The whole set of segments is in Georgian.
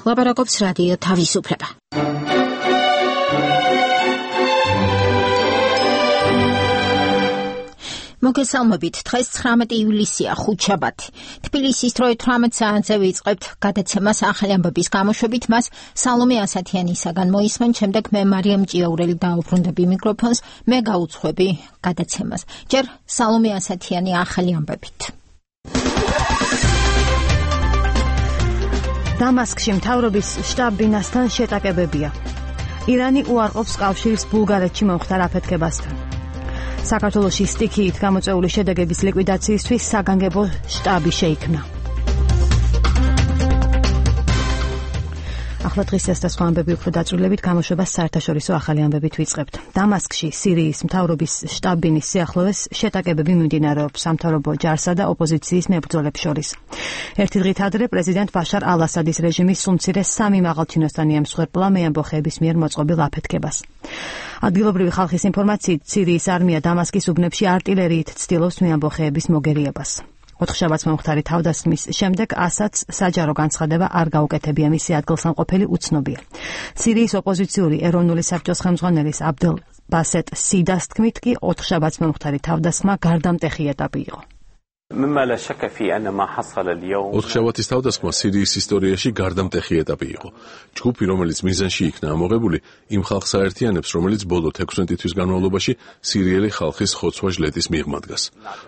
ლაპარაკობს რადიო თავისუფლება. მოგესალმებით, დღეს 19 ივლისია, ხუთშაბათი. თბილისის დროით 18 საათზე ვიწყებთ გადაცემას ახალი ამბების გამოშვებით, მას სალომე ასათიანისაგან მოისმენ, შემდეგ მე მარიამ ჭიაურელი დაუბრუნდები მიკროფონს, მე გაუძღვები გადაცემას. ჯერ სალომე ასათიანი ახალი ამბებით. დამასკში მთავრობის შტაბ-ბინასთან შეტაკებებია. ირანი უარყოფს კავშირს ბულგარეთში მომხდარ აფეთქებასთან. საქართველოში სტიქიით გამოწვეული შედეგების ლიკვიდაციისთვის საგანგებო შტაბი შეიქმნა. ახლა დღის ეს და სხვა ამბები უფრო დაწვრილებით გამოშვებას საერთაშორისო ახალი ამბებით ვიწყებთ. დამასკში სირიის მთავრობის შტაბ-ბინის სიახლოვეს შეტაკებები მიმდინარეობს სამთავრობო ჯარსა და ოპოზიციის მებრძოლებს შორის. ერთი დღით ადრე პრეზიდენტ ბაშარ ალ-ასადის რეჟიმის სულმცირე 3 მაღალჩინოსანი ემსხვერპლა მეამბოხეების მიერ მოწყობილ აფეთქებას. ადგილობრივი ხალხის ინფორმაციით, სირიის არმია დამასკის უბნებში არტილერიით ცდილობს მეამბოხეების მოგერიებას. 4 შაბათს მომხდარი თავდასხმის შემდეგ ასადს საჯარო განცხადება არ გაუკეთებია, მისი ადგილსამყოფელი უცნობია. სირიის ოპოზიციური ეროვნული საბჭოს ხელმძღვანელის აბდელ ბასეტ სიდას თქმით კი 4 შაბათს მომხდარი თავდასხმა გარდამტეხი ეტაპი იყო. ოთხშაბათის თავდასხმა სირიის ისტორიაში გარდამტეხი ეტაპი იყო. ჯგუფი, რომელიც მიზანში იქნა ამოღებული, იმ ხალხს აერთიანებს, რომელიც ბოლო 16 თვის განმავლობაში სირიელი ხალხის ხოცვა-ჟლეტის მიღმა დგას.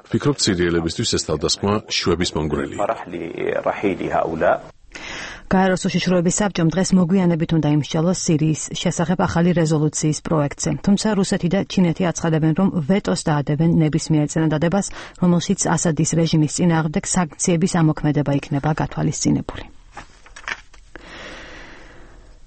ვფიქრობთ, სირიელებისთვის ეს თავდასხმა შვების მომგვრელია. გაეროს უშიშროების საბჭომ დღეს მოგვიანებით უნდა იმსჯელოს სირიის შესახებ ახალი რეზოლუციის პროექტზე. თუმცა რუსეთი და ჩინეთი აცხადებენ, რომ ვეტოს დაადებენ ნებისმიერ წინადადებას, რომელშიც ასადის რეჟიმის წინააღმდეგ სანქციების ამოქმედება იქნება გათვალისწინებული.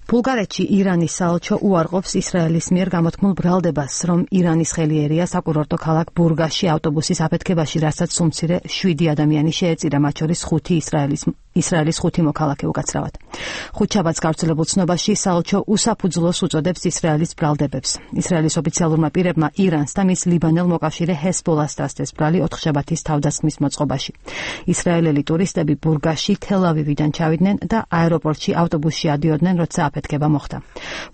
ბულგარეთში ირანის საელჩო უარყოფს ისრაელის მიერ გამოთქმულ ბრალდებას, რომ ირანის ხელი ერია საკურორტო ქალაქ ბურგასში ავტობუსის აფეთქებაში, რასაც სულმცირე 7 ადამიანი შეეწირა, მათ შორის 5 ისრაელის 5 მოქალაქე უკაცრავად. ხუთშაბათს გავრცელებულ ცნობაში საელჩო უსაფუძვლოს უწოდებს ისრაელის ბრალდებებს. ისრაელის ოფიციალურმა პირებმა ირანს და მის ლიბანელ მოკავშირე ჰესბოლას დასდეს ბრალი 4 შაბათის თავდასხმის მოწყობაში. ისრაელელი ტურისტები ბურგასში თელ-ავივიდან ჩავიდნენ და აეროპორტში ავტობუსში ადიოდნენ, როცა აფეთქება მოხდა.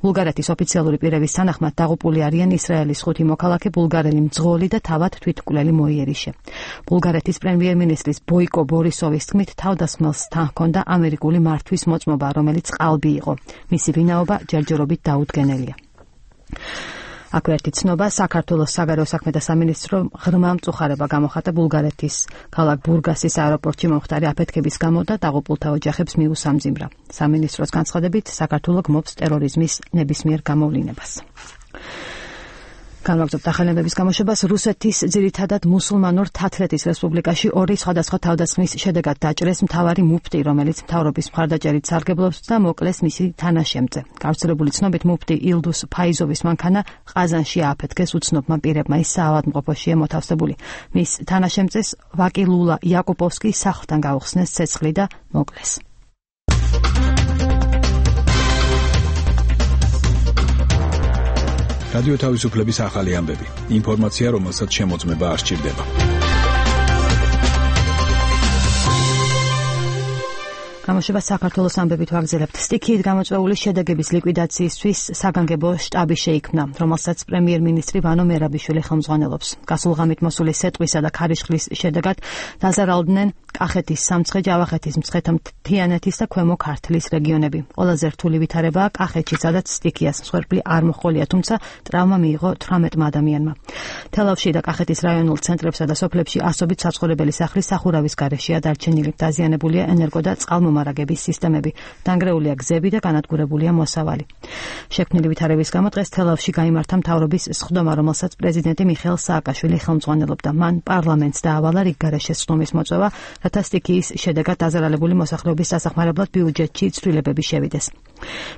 ბულგარეთის ოფიციალური პირების თანახმად დაღუპული არიან ისრაელის 5 მოქალაქე, ბულგარელი მძღოლი და თავად თვითმკვლელი მოიერიშე. ბულგარეთის პრემიერ-მინისტრის ბოიკო ბორისოვის თქმით, თავდასხმელს თან ჰქონდა ამერიკული მართვის მოწმობა, რომელიც ყალბი იყო. მისი ვინაობა ჯერჯერობით დაუდგენელია. აქვე ერთი ცნობა, საქართველოს საგარეო საქმეთა სამინისტრო ღრმა მწუხარება გამოხატა ბულგარეთის ქალაქ ბურგასის აეროპორტში მომხდარი აფეთქების გამო და დაღუპულთა ოჯახებს მიუსამძიმრა. სამინისტროს განცხადებით, საქართველო გმობს ტერორიზმის ნებისმიერ გამოვლინებას. განვაგრძობთ ახალი ამბების გამოშვებას. რუსეთის ძირითადად მუსულმანურ თათრეთის რესპუბლიკაში 2 სხვადასხვა თავდასხმის შედეგად დაჭრეს მთავარი მუფტი, რომელიც მთავრობის მხარდაჭერით სარგებლობს და მოკლეს მისი თანაშემწე. გავრცელებული ცნობით, მუფტი ილდუს ფაიზოვის მანქანა ყაზანში ააფეთქეს უცნობმა პირებმა, ის საავადმყოფოშია მოთავსებული. მის თანაშემწეს ვაკილულა იაკუპოვსკი სახლთან გაუხსნეს ცეცხლი და მოკლეს. რადიო თავისუფლების ახალი ამბები. ინფორმაცია, რომელსაც შემოწმება არ სჭირდება. გამოშვებას საქართველოს ამბებით ვაგრძელებთ. სტიქიით გამოწვეული შედეგების ლიკვიდაციისთვის საგანგებო შტაბი შეიქმნა, რომელსაც პრემიერ-მინისტრი ვანო მერაბიშვილი ხელმძღვანელობს. გასულ ღამით მოსული სეტყვისა და ქარიშხლის შედეგად დაზარალდნენ კახეთის სამცხე, ჯავახეთის მცხეთა-მთიანეთის და ქვემო ქართლის რეგიონები. ყველაზე რთული ვითარებაა კახეთში, სადაც სტიქიას მსხვერპლი არ მოჰყოლია, თუმცა ტრავმა მიიღო 18 ადამიანმა. თელავში და კახეთის რაიონულ ცენტრებსა და სოფლებში ასობით საცხოვრებელი სახლი სახურავის გარეშეა დარჩენილი. დაზიანებულია ენერგო და წყალმომარაგების სისტემები, დანგრეულია გზები და განადგურებულია მოსავალი. შექმნილი ვითარების გამო დღეს თელავში გაიმართა მთავრობის სხდომა, რომელსაც პრეზიდენტი მიხეილ სააკაშვილი ხელმძღვანელობდა. მან პარლამენტს დაავალა რიგგარეშე სხდომის მოწვევა, რათა სტიქიის შედეგად დაზარალებული მოსახლეობის დასახმარებლად ბიუჯეტში ცვლილებები შევიდეს.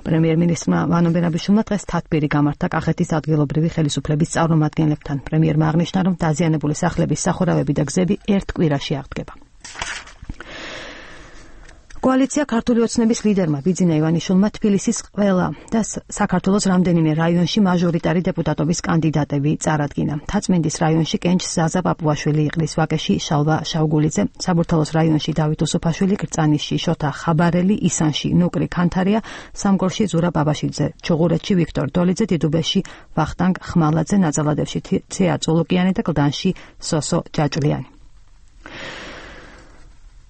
პრემიერ-მინისტრმა ვანო მერაბიშვილმა დღეს თათბირი გამართა კახეთის ადგილობრივი ხელისუფლების წარმომადგენლებთან. პრემიერმა აღნიშნა, რომ დაზიანებული სახლების სახურავები და გზები ერთ კვირაში აღდგება. კოალიცია ქართული ოცნების ლიდერმა ბიძინა ივანიშვილმა თბილისის ყველა და საქართველოს რამდენიმე რაიონში მაჟორიტარი დეპუტატობის კანდიდატები წარადგინა. თაწმინდის რაიონში კენჭ ზაზა პაპუაშვილი იყრის, ვაკეში შალვა შავგულიძე, საბურთალოს რაიონში დავით უსუფაშვილი, კრწანიშში შოთა ხაბარელი, ისანში ნუკრი ქანთარია, სამგორში ზურა ბაბაშიძე, ჩუღურეთში ვიქტორ დოლიძე, დიდუბეში ვახტანგ ხმალაძე, ნაძალადევში ცია წულუკიანი და კლდანში სოსო ჯაჭვლიანი.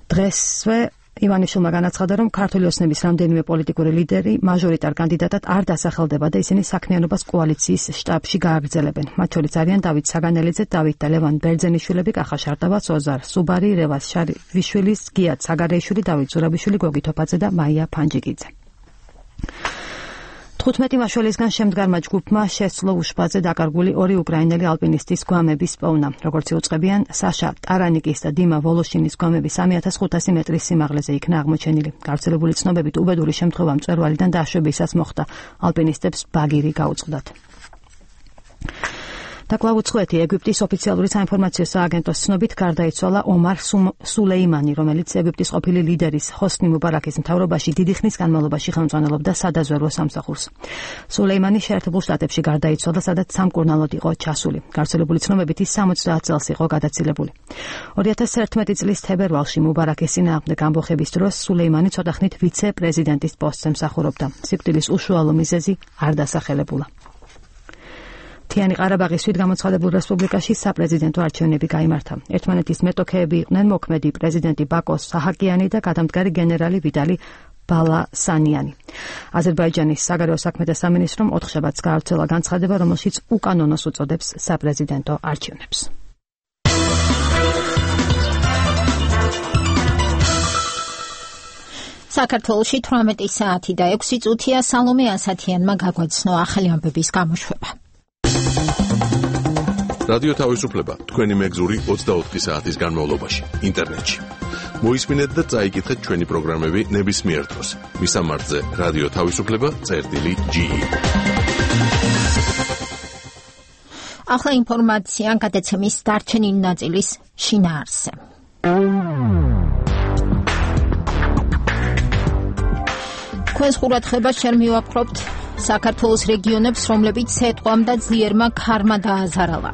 დღესვე ივანიშვილმა განაცხადა, რომ ქართული ოცნების რამდენიმე პოლიტიკური ლიდერი მაჟორიტარ კანდიდატად არ დასახელდება და ისინი საქმიანობას კოალიციის შტაბში გააგრძელებენ. მათ შორის არიან დავით საგანელიძე, დავით და ლევან ბერძენიშვილები, კახა შარტავა, ოზარ სუბარი, რევას შარიშვილი, გიათ საგარეიშვილი, დავით ზურაბიშვილი, გოგი თოფაძე და მაია ფანჯიკიძე. 15 მაშველისგან შემდგარმა ჯგუფმა შესძლო უშბაძე დაკარგული ორი უკრაინელი ალპინისტის გვამების პოვნა. როგორც იუწყებიან, საშა ტარანიკის და დიმა ვოლოშინის გვამები 3500 მეტრის სიმაღლეზე იქნა აღმოჩენილი. გავრცელებული ცნობებით უბედური შემთხვევა მწვერვალიდან დაშვებისას მოხდა. ალპინისტებს ბაგირი გაუწყდათ. და კვლავ უცხოეთი ეგვიპტის ოფიციალური საინფორმაციო სააგენტოს ცნობით გარდაიცვალა ომარ სულეიმანი, რომელიც ეგვიპტის ყოფილი ლიდერის ჰოსნი მუბარაკის მთავრობაში დიდი ხნის განმავლობაში ხელმძღვანელობდა სადაზვერვო სამსახურს. სულეიმანი შეერთებულ შტატებში გარდაიცვალა, სადაც სამკურნალოდ იყო ჩასული. გავრცელებული ცნობებით ის 70 წელს იყო გადაცილებული. 2011 წლის თებერვალში მუბარაკის წინააღმდეგ ამბოხების დროს სულეიმანი ცოტახნით ვიცე-პრეზიდენტის პოსტზე მსახურობდა. სიკვდილის უშუალო მიზეზი არ დასახელებულა. მთიანი ყარაბაღის თვითგამოცხადებულ რესპუბლიკაში საპრეზიდენტო არჩევნები გაიმართა. ერთმანეთის მეტოქეები იყვნენ მოქმედი პრეზიდენტი ბაკო საჰაკიანი და გადამდგარი გენერალი ვიტალი ბალასანიანი. აზერბაიჯანის საგარეო საქმეთა სამინისტრომ 4 შაბათს გაავრცელა განცხადება, რომელშიც უკანონოს უწოდებს საპრეზიდენტო არჩევნებს. საქართველოში 18 საათი და 6 წუთია. სალომე ასათიანმა გაგვაცნო ახალი ამბების გამოშვება. რადიო თავისუფლება თქვენი მეგზური 24 საათის განმავლობაში ინტერნეტში. მოისმინეთ და წაიკითხეთ ჩვენი პროგრამები ნებისმიერ დროს. მისამართზე რადიო თავისუფლება.ge. ახლა ინფორმაცია გადაცემის დარჩენილი ნაწილის შინაარსზე. თქვენს ყურადღებას შენ მივაპყრობთ საქართველოს რეგიონებს, რომლებიც სეტყვამ და ძლიერმა ქარმა დააზარალა.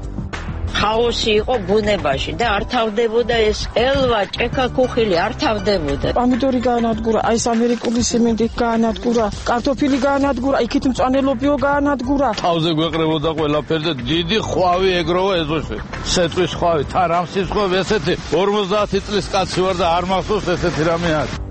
ხაოსი იყო ბუნებაში და არ თავდებოდა ეს ელვა, ჭექა, ქუხილი არ თავდებოდა. პომიდორი გაანადგურა, აი ეს ამერიკული სიმინდი გაანადგურა, კარტოფილი გაანადგურა, იქით მწვანელობიო გაანადგურა. თავზე გვეყრებოდა ყველაფერზე, დიდი ხვავი ეგროვა ეზოში. სეტყვის ხვავი, თარამსის ხვავი, ესეთი 50 წლის კაცი ვარ და არ მახსოვს ესეთი რამე არის.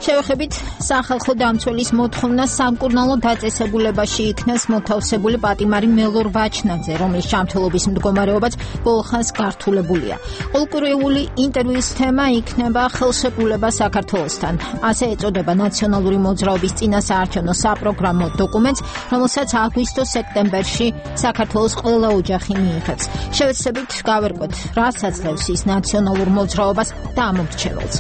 შევეხებით სახალხო დამცველის მოთხოვნა სამკურნალო დაწესებულებაში იქნას მოთავსებული პატიმარი მელორ ვაჩნაძე, რომლის ჯანმრთელობის მდგომარეობაც ბოლხანს გართულებულია. ყოველკვირეული ინტერვიუს თემა იქნება ხელშეკრულება საქართველოსთან. ასე ეწოდება ნაციონალური მოძრაობის წინასაარჩევნო საპროგრამო დოკუმენტს, რომელსაც აგვისტო-სექტემბერში საქართველოს ყველა ოჯახი მიიღებს. შევეცდებით გავერკვეთ, რას აძლევს ის ნაციონალურ მოძრაობას და ამომრჩეველს.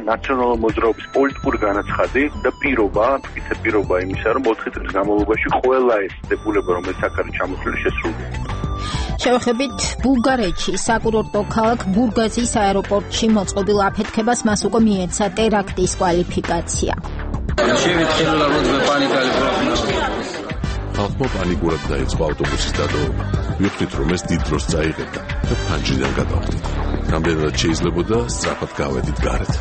ნაციონალური მოძრაობის პოლიტიკური განაცხადი და პირობა იმისა, რომ 4 წლის განმავლობაში ყველა ეს დებულება, რომელიც აქ არის ჩამოთვლილი, შესრულდება. შევეხებით ბულგარეთში საკურორტო ქალაქ ბურგაზის აეროპორტში მოწყობილ აფეთქებას მას უკვე მიეცა ტერაქტის კვალიფიკაცია. ხალხმა პანიკურად დაიწყო ავტობუსის დატოვება. ვიხდით, რომ ეს დიდ დროს წაიღებდა და ფანჯრიდან გადავხდით. რამდენადაც შეიძლებოდა სწრაფად გავედით გარეთ.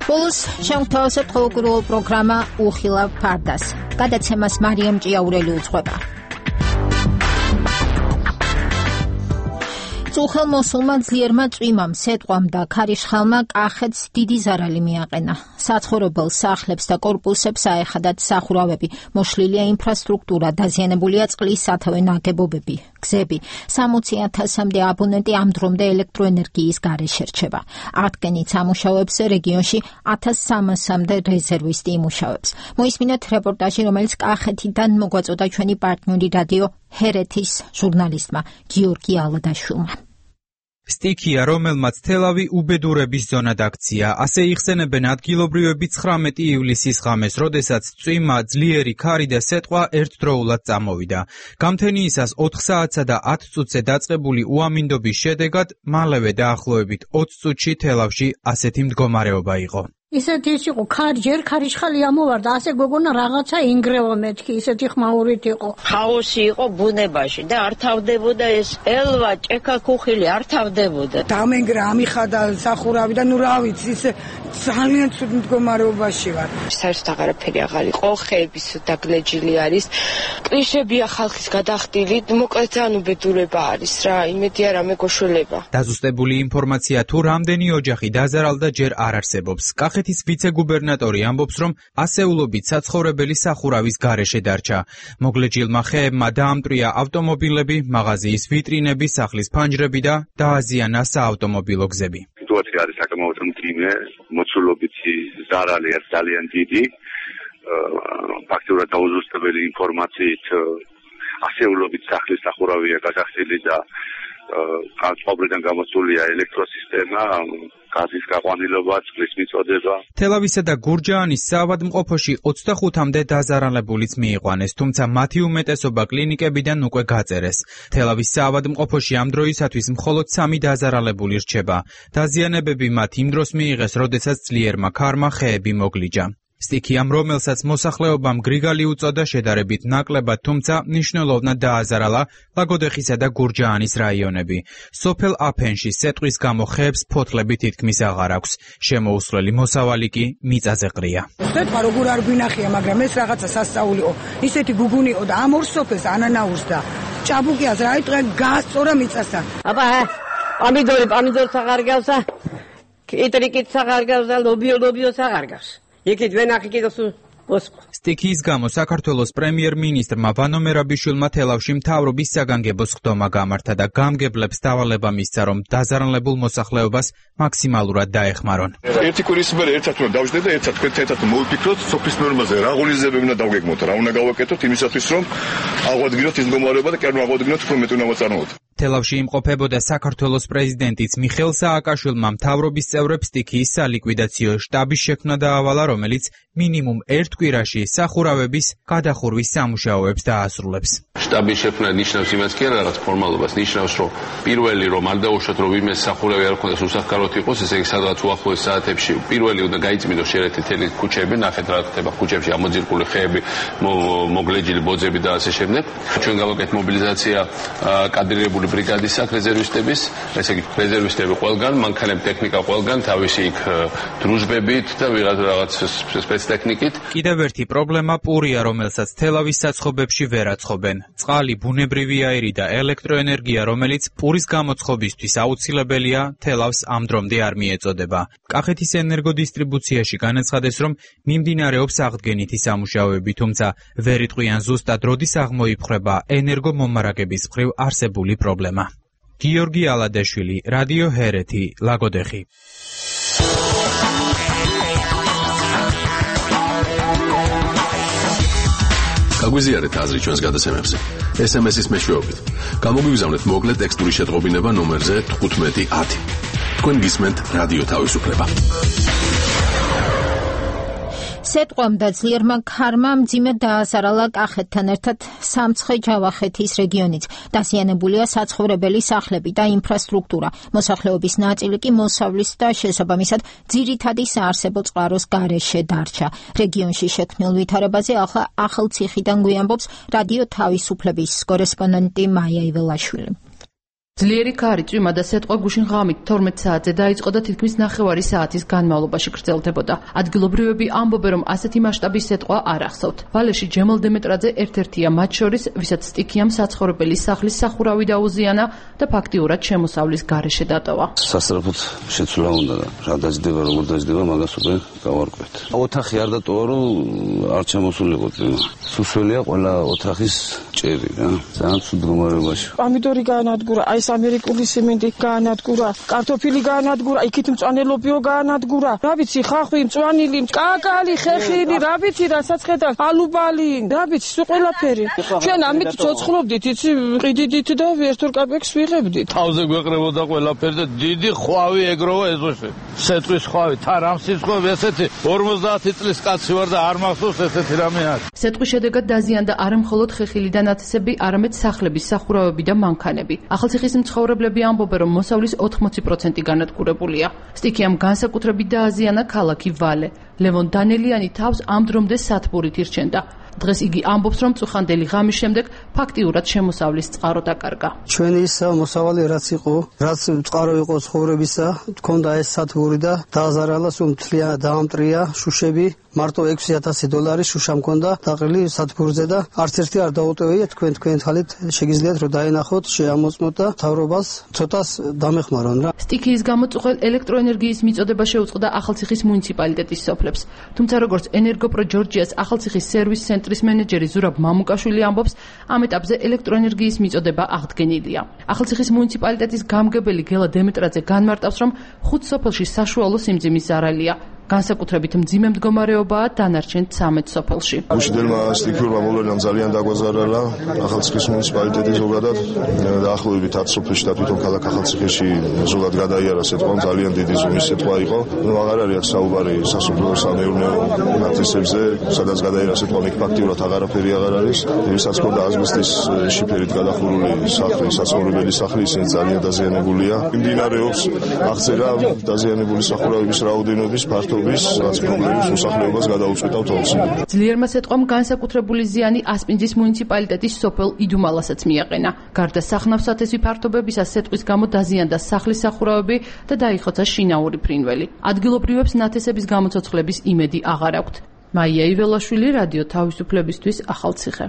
ბოლოს შემოგთავაზებთ ყოველკვირეულ პროგრამა უხილავ ფარდას. გადაცემას მარიამ ჭიაურელი უძღვება. წუხელმოსულმა ძლიერმა წვიმამ, სეტყვამ და ქარიშხალმა კახეთს დიდი ზარალი მიაყენა. საცხოვრებელ სახლებს და კორპუსებს აეხადათ სახურავები, მოშლილია ინფრასტრუქტურა, დაზიანებულია წყლის სათავე ნაგებობები, გზები. 60,000-მდე აბონენტი ამ დრომდე ელექტროენერგიის გარეშე რჩება. ათგენით ამუშავებს რეგიონში 1300-მდე რეზერვისტი იმუშავებს. მოისმინეთ რეპორტაჟი, რომელიც კახეთიდან მოგვაწოდა ჩვენი პარტნიორი რადიო ჰერეთის ჟურნალისტმა გიორგი ალადაშვილმა. სტიქია, რომელმაც თელავი უბედურების ზონად აქცია. ასე იხსენებენ ადგილობრივები 19 ივლისის ღამეს, როდესაც წვიმა, ძლიერი ქარი და სეტყვა ერთდროულად წამოვიდა. გამთენიისას 4 საათსა და 10 წუთზე დაწყებული უამინდობის შედეგად მალევე დაახლოებით 20 წუთში თელავში ასეთი მდგომარეობა იყო. ისეთი ის იყო, ჯერ ქარიშხალი ამოვარდა, ასე გოგონა რაღაცა ინგრევა მეთქი, ისეთი ხმაურით იყო. ხაოსი იყო ბუნებაში და არ თავდებოდა ეს ელვა, ჭექა, ქუხილი არ თავდებოდა. დამენგრა ამიხადა სახურავი და ნუ რა ვიცი, ისე ძალიან ცუდ მდგომარეობაში ვარ. საერთოდ აღარაფერი აღარ იყო, ხეების დაგლეჯილი არის. კლიშებია ხალხის გადახდილი, მოკლედ ძალიან უბედურება არის რა, იმედი არა მეგოშველება. დაზუსტებული ინფორმაცია თუ რამდენი ოჯახი დაზარალდა ჯერ არ არსებობს. კახეთის ვიცე-გუბერნატორი ამბობს, რომ ასეულობით საცხოვრებელი სახურავის გარეშე დარჩა. მოგლეჯილმა ხეებმა დაამტვრია ავტომობილები, მაღაზიის ვიტრინები, სახლის ფანჯრები და დააზიანა საავტომობილო გზები. სიტუაცია არის საკმაოდ მძიმე, მოცულობითი ზარალი არის ძალიან დიდი. ფაქტურად დაუზუსტებელი ინფორმაციით ასეულობით სახლის სახურავია გადახდილი და წყობრიდან გამოსულია ელექტროსისტემა, გაზის გაყვანილობა, წყლის მიწოდება. თელავისა და გურჯაანის საავადმყოფოში 25-მდე დაზარალებულიც მიიყვანეს, თუმცა მათი უმეტესობა კლინიკებიდან უკვე გაწერეს. თელავის საავადმყოფოში ამ დროისათვის მხოლოდ 3 დაზარალებული რჩება. დაზიანებები მათ იმ დროს მიიღეს, როდესაც ძლიერმა ქარმა ხეები მოგლიჯა. სტიქიამ, რომელსაც მოსახლეობამ გრიგალი უწოდა, შედარებით ნაკლებად, თუმცა მნიშვნელოვნად დააზარალა ლაგოდეხისა და გურჯაანის რაიონები. სოფელ აფენში სეტყვის გამო ხეებს ფოთლები თითქმის აღარ აქვს. შემოუსვლელი მოსავალი კი მიწაზე ყრია. ხეთქვა როგორ არ გვინახია, მაგრამ ეს რაღაცა სასწაულიო. ისეთი გუგუნიო და ამ ორ სოფელს ანანაურს და ჭაბუკიას რა იტყვე გაასწორა მიწასთან. აბა, პამიდორს აღარ გავსა. კიტრიკიც აღარ გავსა, ლობიოს აღარ გავსა. იქით ვენახი კიდოს სტიქიის გამო საქართველოს პრემიერ-მინისტრმა ვანო მერაბიშვილმა თელავში მთავრობის საგანგებო სხდომა გამართა და გამგებლებს დავალება მისცა, რომ დაზარალებულ მოსახლეობას მაქსიმალურად დაეხმარონ. ერთი კვირის მერე ერთად უნდა დავждდეთ და ერთად თქვენთან ერთად მოვიფიქროთ სოფლის ნორმაზე რა ღონისძიებები უნდა დავგეგმოთ, რა უნდა გავაკეთოთ იმისათვის, რომ აღვადგინოთ ის მდგომარეობა და კი არ აღვადგინოთ უფრო მეტ უნდა მოწარმოოთ. თელავში იმყოფებოდა საქართველოს პრეზიდენტიც მიხეილ სააკაშვილმა მთავრობის წევრებს სტიქიის სალიკვიდაციო შტაბის შექმნა დაავალა, რომელიც მინიმუმ ერთ კვირაში სახურავების გადახურვის სამუშაოებს დაასრულებს. შტაბის შექმნა ნიშნავს იმას კი არა რაღაც ფორმალობას, ნიშნავს რომ პირველი რომ არ დაუშვათ რომ ვინმე სახურავი არ ქონდეს უსახკაროდ იყოს, ესე იგი სადღაც უახლოეს საათებში პირველი უნდა გაიწმინდოს შეერთეთ თელი ქუჩები, ნახეთ რა ხდება ქუჩებში ამოძირკული ხეები, მოგლეჯილი ბოძები და ასე შემდეგ. ჩვენ გავაკეთეთ მობილიზაცია კადრირებული ბრიგადის აქ რეზერვისტების, ესე იგი რეზერვისტები ყველგან, მანქანები, ტექნიკა ყველგან, თავისი იქ დრუჟბებით და რაღაც სპეცტექნიკით. კიდევ ერთი პრობლემა პურია, რომელსაც თელავის საცხობებში ვერ აცხობენ. წყალი, ბუნებრივი აირი და ელექტროენერგია, რომელიც პურის გამოცხობისთვის აუცილებელია, თელავს ამ დრომდე არ მიეწოდება. კახეთის ენერგოდისტრიბუციაში განაცხადეს, რომ მიმდინარეობს აღდგენითი სამუშაოები, თუმცა ვერ იტყვიან ზუსტად როდის აღმოიფხვრება ენერგომომარაგების მხრივ არსებული პრობლემა. გიორგი ალადეშვილი, რადიო ჰერეთი, ლაგოდეხი. გაგვიზიარეთ აზრი ჩვენს გადაცემებზე. SMS-ის მეშვეობით. გამოგვიგზავნეთ მოკლე ტექსტური შეტყობინება ნომერზე 1510. თქვენ გისმენთ რადიო თავისუფლება. სეტყვამ და ძლიერმა ქარმა მძიმედ დააზარალა კახეთთან ერთად სამცხე-ჯავახეთის რეგიონიც. დაზიანებულია საცხოვრებელი სახლები და ინფრასტრუქტურა. მოსახლეობის ნაწილი კი მოსავლის და შესაბამისად ძირითადი საარსებო წყაროს გარეშე დარჩა. რეგიონში შექმნილ ვითარებაზე ახალციხიდან გვიამბობს რადიო თავისუფლების კორესპონდენტი მაია იველაშვილი. ძლიერი ქარი, წვიმა და სეტყვა გუშინ ღამით 12 საათზე დაიწყო და თითქმის ნახევარი საათის განმავლობაში გრძელდებოდა. ადგილობრივები ამბობენ, რომ ასეთი მასშტაბის სეტყვა არ ახსოვთ. ვალეში ჯემალ დემეტრაძე ერთ-ერთია მათ შორის, ვისაც სტიქიამ საცხოვრებელი სახლის სახურავი დაუზიანა და ფაქტიურად შემოსავლის გარეშე დატოვა. სასწრაფოდ შეცვლა უნდა და რა დაძდება, როგორ დაძდება, მაგას უკვე გავარკვევთ. ოთახი არ დატოვა, რომ არ ჩამოსულიყო წვიმა. სუსველია ყველა ოთახის ჭერი რა. ძალიან ცუდ მდგომარეობაში. პომიდორი გაანადგურა, აი ეს ამერიკული სიმინდი გაანადგურა, კარტოფილი გაანადგურა, იქით მწვანელობიო გაანადგურა. რა ვიცი, ხახვი, მწვანილი, კაკალი, ხეხილი, რა ვიცი, რასაც ხედა, ალუბალი, რა ვიცი, სულ ყველაფერი. ჩვენ ამით ცოცხლობდით, იცი, ყიდიდით და ვერტურ კაპექს ვიღებდით. თავზე გვეყრებოდა ყველაფერი და დიდი ხვავი ეგროვა ეზოში. სეტყვის ხვავი, თარამსის ხვავი, ესეთი 50 წლის კაცი ვარ და არ მახსოვს ესეთი რამე არის. სეტყვის შედეგად დაზიანდა არა მხოლოდ ხეხილი და ნათესები, არამედ სახლების სახურავები და მანქანები. ახალციხის მცხოვრებლები ამბობენ, რომ მოსავლის 80% განადგურებულია. სტიქიამ განსაკუთრებით დააზიანა ქალაქი ვალე. ლევონ დანელიანი თავს ამ დრომდე სათბურით ირჩენდა. დღეს იგი ამბობს, რომ წუხანდელი ღამის შემდეგ ფაქტიურად შემოსავლის წყარო დაკარგა. ჩვენი ის მოსავალი რაც იყო, რაც წყარო იყო ცხოვრებისა, თქონდა ეს სათბური და დააზარალა სულ მთლიანად დაამტრია შუშები. მარტო $6,000 შუშა მქონდა დაყრილი სათბურზე და არც ერთი არ დაუტოვია. თქვენ ხალით შეგიძლიათ რომ დაენახოთ, შეამოწმოთ და მთავრობას ცოტას დამეხმარონ რა. სტიქიის გამო წუხელ ელექტროენერგიის მიწოდება შეუწყდა ახალციხის მუნიციპალიტეტის სოფლებს. თუმცა როგორც ენერგოპრო ჯორჯიას ახალციხის სერვის ცენტრის მენეჯერი ზურაბ მამუკაშვილი ამბობს, ამ ეტაპზე ელექტროენერგიის მიწოდება აღდგენილია. ახალციხის მუნიციპალიტეტის გამგებელი გელა დემეტრაძე განმარტავს, რომ 5 სოფელში საშუალო სიმძიმის ზარალია. განსაკუთრებით მძიმე მდგომარეობაა დანარჩენ 13 სოფელში. გუშინდელმა სტიქიურმა მოვლენამ ძალიან დაგვაზარალა ახალციხის მუნიციპალიტეტი ზოგადად დაახლოებით 10 სოფელში და თვითონ ქალაქ ახალციხეში ზოგადად გადაიარა სიტყვა, ძალიან დიდი ზომის სიტყვა იყო. აღარ არის აქ საუბარი სასოფლო სამეურნეო ნათესებზე, სადაც გადაიარა სიტყვა, იქ ფაქტიურად აღარაფერი აღარ არის. ვისაც ქონდა აზბესტის შიფერით გადახურული სახლი, საცხოვრებელი სახლი, ისინი ძალიან დაზიანებულია. მიმდინარეობს აღწერა დაზიანებული სახურავების რაოდენობის ფართო რაც პრობლემის მოსახლეობას გადაუწყვეტავთ ოცნები. ძლიერმა სიტყვამ განსაკუთრებული ზიანი ასპინძის მუნიციპალიტეტის სოფელ იდუმალასაც მიაყენა. გარდა სახნავ-სათესი ფართობებისა სიტყვის გამო დაზიანდა სახლის სახურავები და დაიხოცა შინაური ფრინველი. ადგილობრივებს ნათესების გამოცოცხლების იმედი აღარ აქვთ. მაია იველაშვილი, რადიო თავისუფლებისთვის, ახალციხე.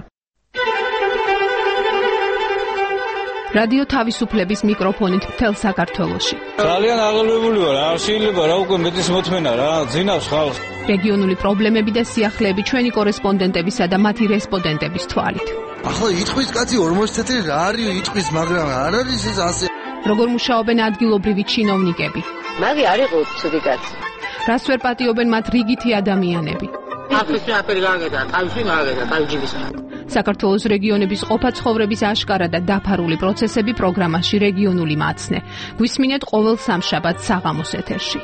რადიო თავისუფლების მიკროფონით მთელ საქართველოში. ძალიან აღელვებული ვარ, არ შეიძლება რა უკვე მეტის მოთმენა რა, ძინავს ხალხს. რეგიონული პრობლემები და სიახლეები ჩვენი კორესპონდენტებისა და მათი რესპონდენტების თვალით. ახლა იტყვის კაცი 40 წელი რა არის იტყვის, მაგრამ არ არის ეს ასე. როგორ მუშაობენ ადგილობრივი ჩინოვნიკები? მაგი არ იყო ცუდი კაცი. რას ვერ პატიობენ მათ რიგითი ადამიანები? ახლა აფერი გაგედა, თავში მაგედა, თავჯიბის. საქართველოს რეგიონების ყოფა ცხოვრების აშკარა და დაფარული პროცესები პროგრამაში რეგიონული მაცნე. გვისმინეთ ყოველ სამშაბათს საღამოს ეთერში.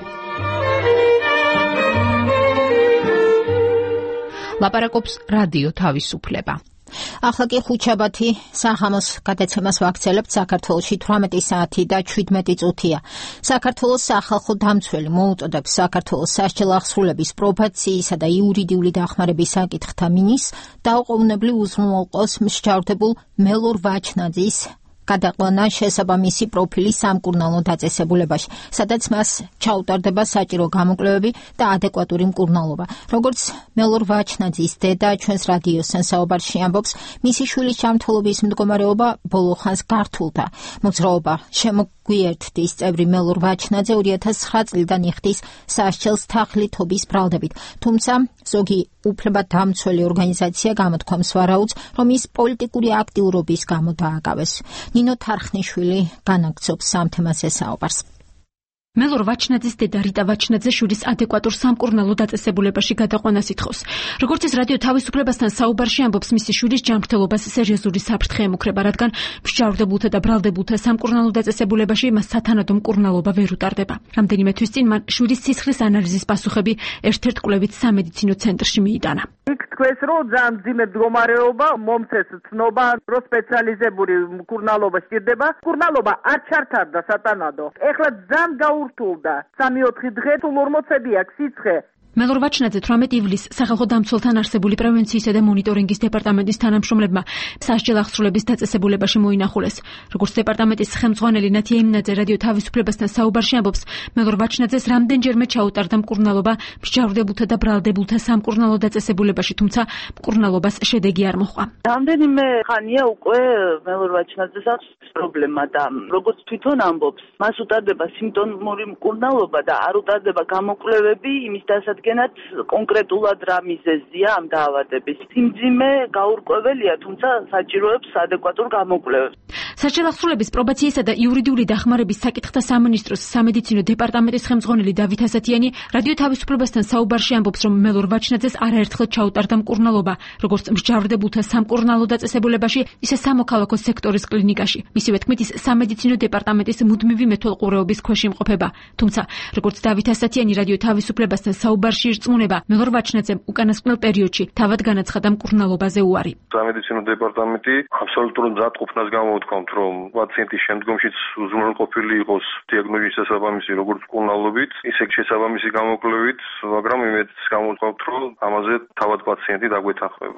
ლაპარაკობს რადიო თავისუფლება. ახლა კი ხუთშაბათი საღამოს გადაცემას ვაქცელებთ. საქართველოში 18 საათი და 17 წუთია. საქართველოს სახალხო დამცველი მოუწოდებს საქართველოს სასჯელ აღსრულების პრობაციისა და იურიდიული დახმარების საკითხთა მინისტრს დაუყოვნებლივ უზრუნველყოს მსჯავრდებულ მელორ ვაჩნაძის გადაყვანა შესაბამისი პროფილის სამკურნალო დაწესებულებაში, სადაც მას ჩაუტარდება საჭირო გამოკვლევები და ადეკვატური მკურნალობა. როგორც მელორ ვაჩნაძის დედა ჩვენს რადიოსთან საუბარში ამბობს, მისი შვილის ჯანმრთელობის მდგომარეობა ბოლო ხანს გართულდა. მოძრაობა შემოგვიერთდის წევრი მელორ ვაჩნაძე 2009 წლიდან იხდის სასჯელს თაღლითობის ბრალდებით, თუმცა ზოგი უფლებადამცველი ორგანიზაცია გამოთქვამს ვარაუდს, რომ ის პოლიტიკური აქტიურობის გამო დააკავეს. ნინო თარხნიშვილი განაგრძობს ამ თემაზე საუბარს. მელორ ვაჩნაძის დედა რიტა ვაჩნაძე შვილის ადეკვატურ სამკურნალო დაწესებულებაში გადაყვანას ითხოვს. როგორც ის რადიო თავისუფლებასთან საუბარში ამბობს, მისი შვილის ჯანმრთელობას სერიოზული საფრთხე ემუქრება, რადგან მსჯავრდებულთა და ბრალდებულთა სამკურნალო დაწესებულებაში მას სათანადო მკურნალობა ვერ უტარდება. რამდენიმე თვის წინ მან შვილის სისხლის ანალიზის პასუხები ერთ-ერთ კვლევით სამედიცინო ცენტრში მიიტანა. იქ თქვენს რომ ძალიან მძიმე მდგომარეობა, მომცეს ცნობა, რომ სპეციალიზებული მკურნალობა სჭირდება. მკურნალობა არ ჩართარდა სათანადო. ეხლა ძალიან გაურთულდა. 3-4 დღე თუ 40 აქვს სიცხე. მელორ ვაჩნაძე 18 ივლისს სახალხო დამცველთან არსებული პრევენციისა და მონიტორინგის დეპარტამენტის თანამშრომლებმა სასჯელ აღსრულების დაწესებულებაში მოინახულეს. როგორც დეპარტამენტის ხელმძღვანელი ნათია იმნაძე რადიო თავისუფლებასთან საუბარში ამბობს, მელორ ვაჩნაძეს რამდენჯერმე ჩაუტარდა მკურნალობა მსჯავრდებულთა და ბრალდებულთა სამკურნალო დაწესებულებაში, თუმცა მკურნალობას შედეგი არ მოჰყვა. რამდენიმე ხანია უკვე მელორ ვაჩნაძეს აქვს პრობლემა და როგორც თვითონ ამბობს, მას უტარდება სიმპტომური მკურნალობა და არ უტარდება გამოკვლევები იმის დასაცავად წარმოადგენად კონკრეტულად რა მიზეზია ამ დაავადების. სიმძიმე გაურკვეველია, თუმცა საჭიროებს ადეკვატურ გამოკვლევებს. საჯელახსრულების პრობაციისა და იურიდიული დახმარების საკითხთა სამინისტროს სამედიცინო დეპარტამენტის ხელმძღვანელი დავით ასათიანი რადიო თავისუფლებასთან საუბარში ამბობს, რომ მელორ ვაჩნაძეს არაერთხელ ჩაუტარდა მკურნალობა, როგორც მსჯავრდებულთა სამკურნალო დაწესებულებაში, ისე სამოქალაქო სექტორის კლინიკაში. მისივე თქმით, ის სამედიცინო დეპარტამენტის მუდმივი მეთვალყურეობის ქვეშ იმყოფება. თუმცა, როგორც დავით ასათიანი რადიო თავისუფლებასთან საუბარში ირწმუნება, მელორ ვაჩნაძემ უკანასკნელ პერიოდში თავად განაცხადა მკურნალობაზე უარი. სამედიცინო დეპარტამენტი აბსოლუტურ მზადყოფნას გამოუთქვამთ, რომ პაციენტის შემდგომშიც უზრუნველყოფილი იყოს დიაგნოზის შესაბამისი როგორც მკურნალობით, ისე შესაბამისი გამოკვლევით, მაგრამ იმედს გამოუთქვამთ, რომ ამაზე თავად პაციენტი დაგვეთანხმება.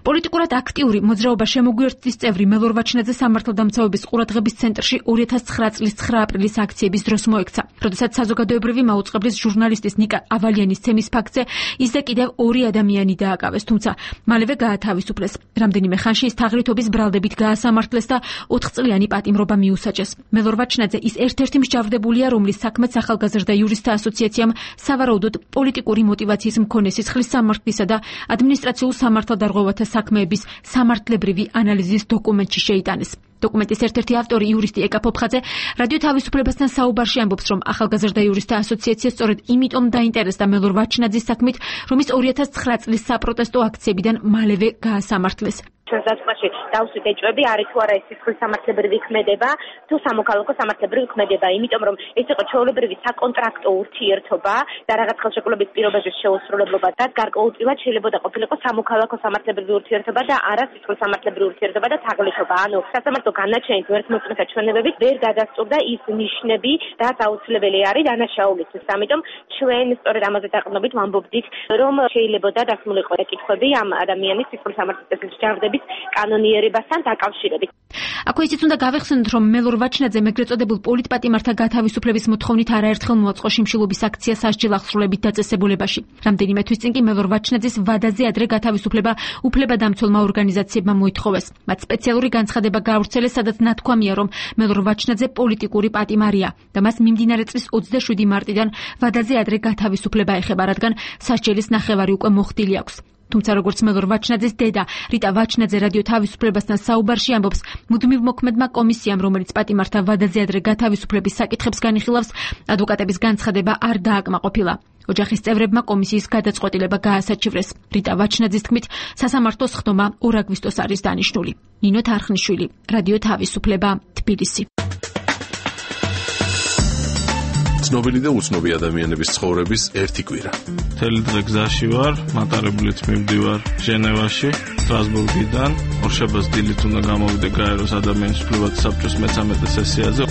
პოლიტიკურად აქტიური მოძრაობა შემოგვიერთდის წევრი მელორ ვაჩნაძე სამართალდამცავების ყურადღების ცენტრში 2009 წლის 9 აპრილის აქციების დროს მოექცა. როდესაც საზოგადოებრივი მაუწყებლის ჟურნალისტის ნიკა ავალიანის თემის ფაქტზე ისე კიდევ 2 ადამიანი დააკავეს, თუმცა მალევე გაათავისუფლეს. რამდენიმე ხანში ის თაღრითობის ბრალდებით გაასამართლეს და 4 წლიანი პატიმრობა მიუსაჯეს. მელორ ვაჩნაძე ის ერთ-ერთი მსჯავრდებულია, რომლის საქმეც ახალგაზრდა იურისტთა ასოციაციამ სავარაუდოდ პოლიტიკური მოტივაციის მქონე სისხლის სამართლისა და ადმინისტრაციულ სამართალდარღვევათა საქმეების სამართლებრივი ანალიზის დოკუმენტში შეიტანეს. დოკუმენტის ერთ-ერთი ავტორი იურისტი ეკა ფოფხაძე რადიო თავისუფლებასთან საუბარში ამბობს, რომ ახალგაზრდა იურისტთა ასოციაცია სწორედ იმიტომ დაინტერესდა მელორ ვაჩნაძის საქმით, რომ ის 2009 წლის საპროტესტო აქციებიდან მალევე გაასამართლეს. ჩვენსაცმაში დავსვით ეჭვები არის თუ არა ეს სისხლის სამართლებრივი ქმედება თუ სამოქალაქო სამართლებრივი ქმედება, იმიტომ რომ ეს იყო ჩვეულებრივი საკონტრაქტო ურთიერთობა და რაღაც ხელშეკრულების პირობების შეუსრულებლობა და გარკვეულწილად შეიძლება ყოფილიყო სამოქალაქო სამართლებრივი ურთიერთობა და არა სისხლის სამართლებრივი ურთიერთობა და თაღლითობა. ანუ სასამართლო განაჩენით ვერთმოწმეთა ჩვენებებით ვერ გადასწორდა ის ნიშნები, რაც აუცილებელი არის დანაშაულისთვის. ამიტომ ჩვენ სწორედ ამაზე დაყრდნობით ვამბობდით, რომ შეიძლება დასმულიყო კითხვები ამ ადამიანის სისხლის სამართლებრივი მსჯავრდების კანონიერებასთან დაკავშირებით. აქვე ისიც უნდა გავეხსენოთ, რომ მელორ ვაჩნაძემ ეგრეთ წოდებულ პოლიტპატიმართა გათავისუფლების მოთხოვნით არაერთხელ მოაწყო შიმშილობის აქცია სასჯელახსრულებით დაწესებულებაში. რამდენიმე თვის წინ კი მელორ ვაჩნაძის ვადაზე ადრე გათავისუფლება უფლებადამცველმა ორგანიზაციებმა მოითხოვეს. მათ სპეციალური განცხადება გაავრცელეს, სადაც ნათქვამია, რომ მელორ ვაჩნაძე პოლიტიკური პატიმარია და მას მიმდინარე წლის 27 მარტიდან ვადაზე ადრე გათავისუფლება ეხება, რადგან სასჯელის ნახევარი უკვე მოხდილი აქვს. თუმცა როგორც მელორ ვაჩნაძის დედა რიტა ვაჩნაძე რადიო თავისუფლებასთან საუბარში ამბობს, მუდმივ მოქმედმა კომისიამ, რომელიც პატიმართა ვადაზე ადრე გათავისუფლების საკითხებს განიხილავს, ადვოკატების განცხადება არ დააკმაყოფილა. ოჯახის წევრებმა კომისიის გადაწყვეტილება გაასაჩივრეს. რიტა ვაჩნაძის თქმით, სასამართლოს ხდომა 2 აგვისტოს არის დანიშნული. ნინო თარხნიშვილი, რადიო თავისუფლება, თბილისი. ცნობილი და უცნობი ადამიანების ცხოვრების ერთი კვირა. მთელი დღე გზაში ვარ, მატარებლით მივდივარ ჟენევაში, სტრასბურგიდან. ორშაბათს დილით უნდა გამოვიდე გაეროს ადამიანის უფლებათა საბჭოს მე-13 სესიაზე.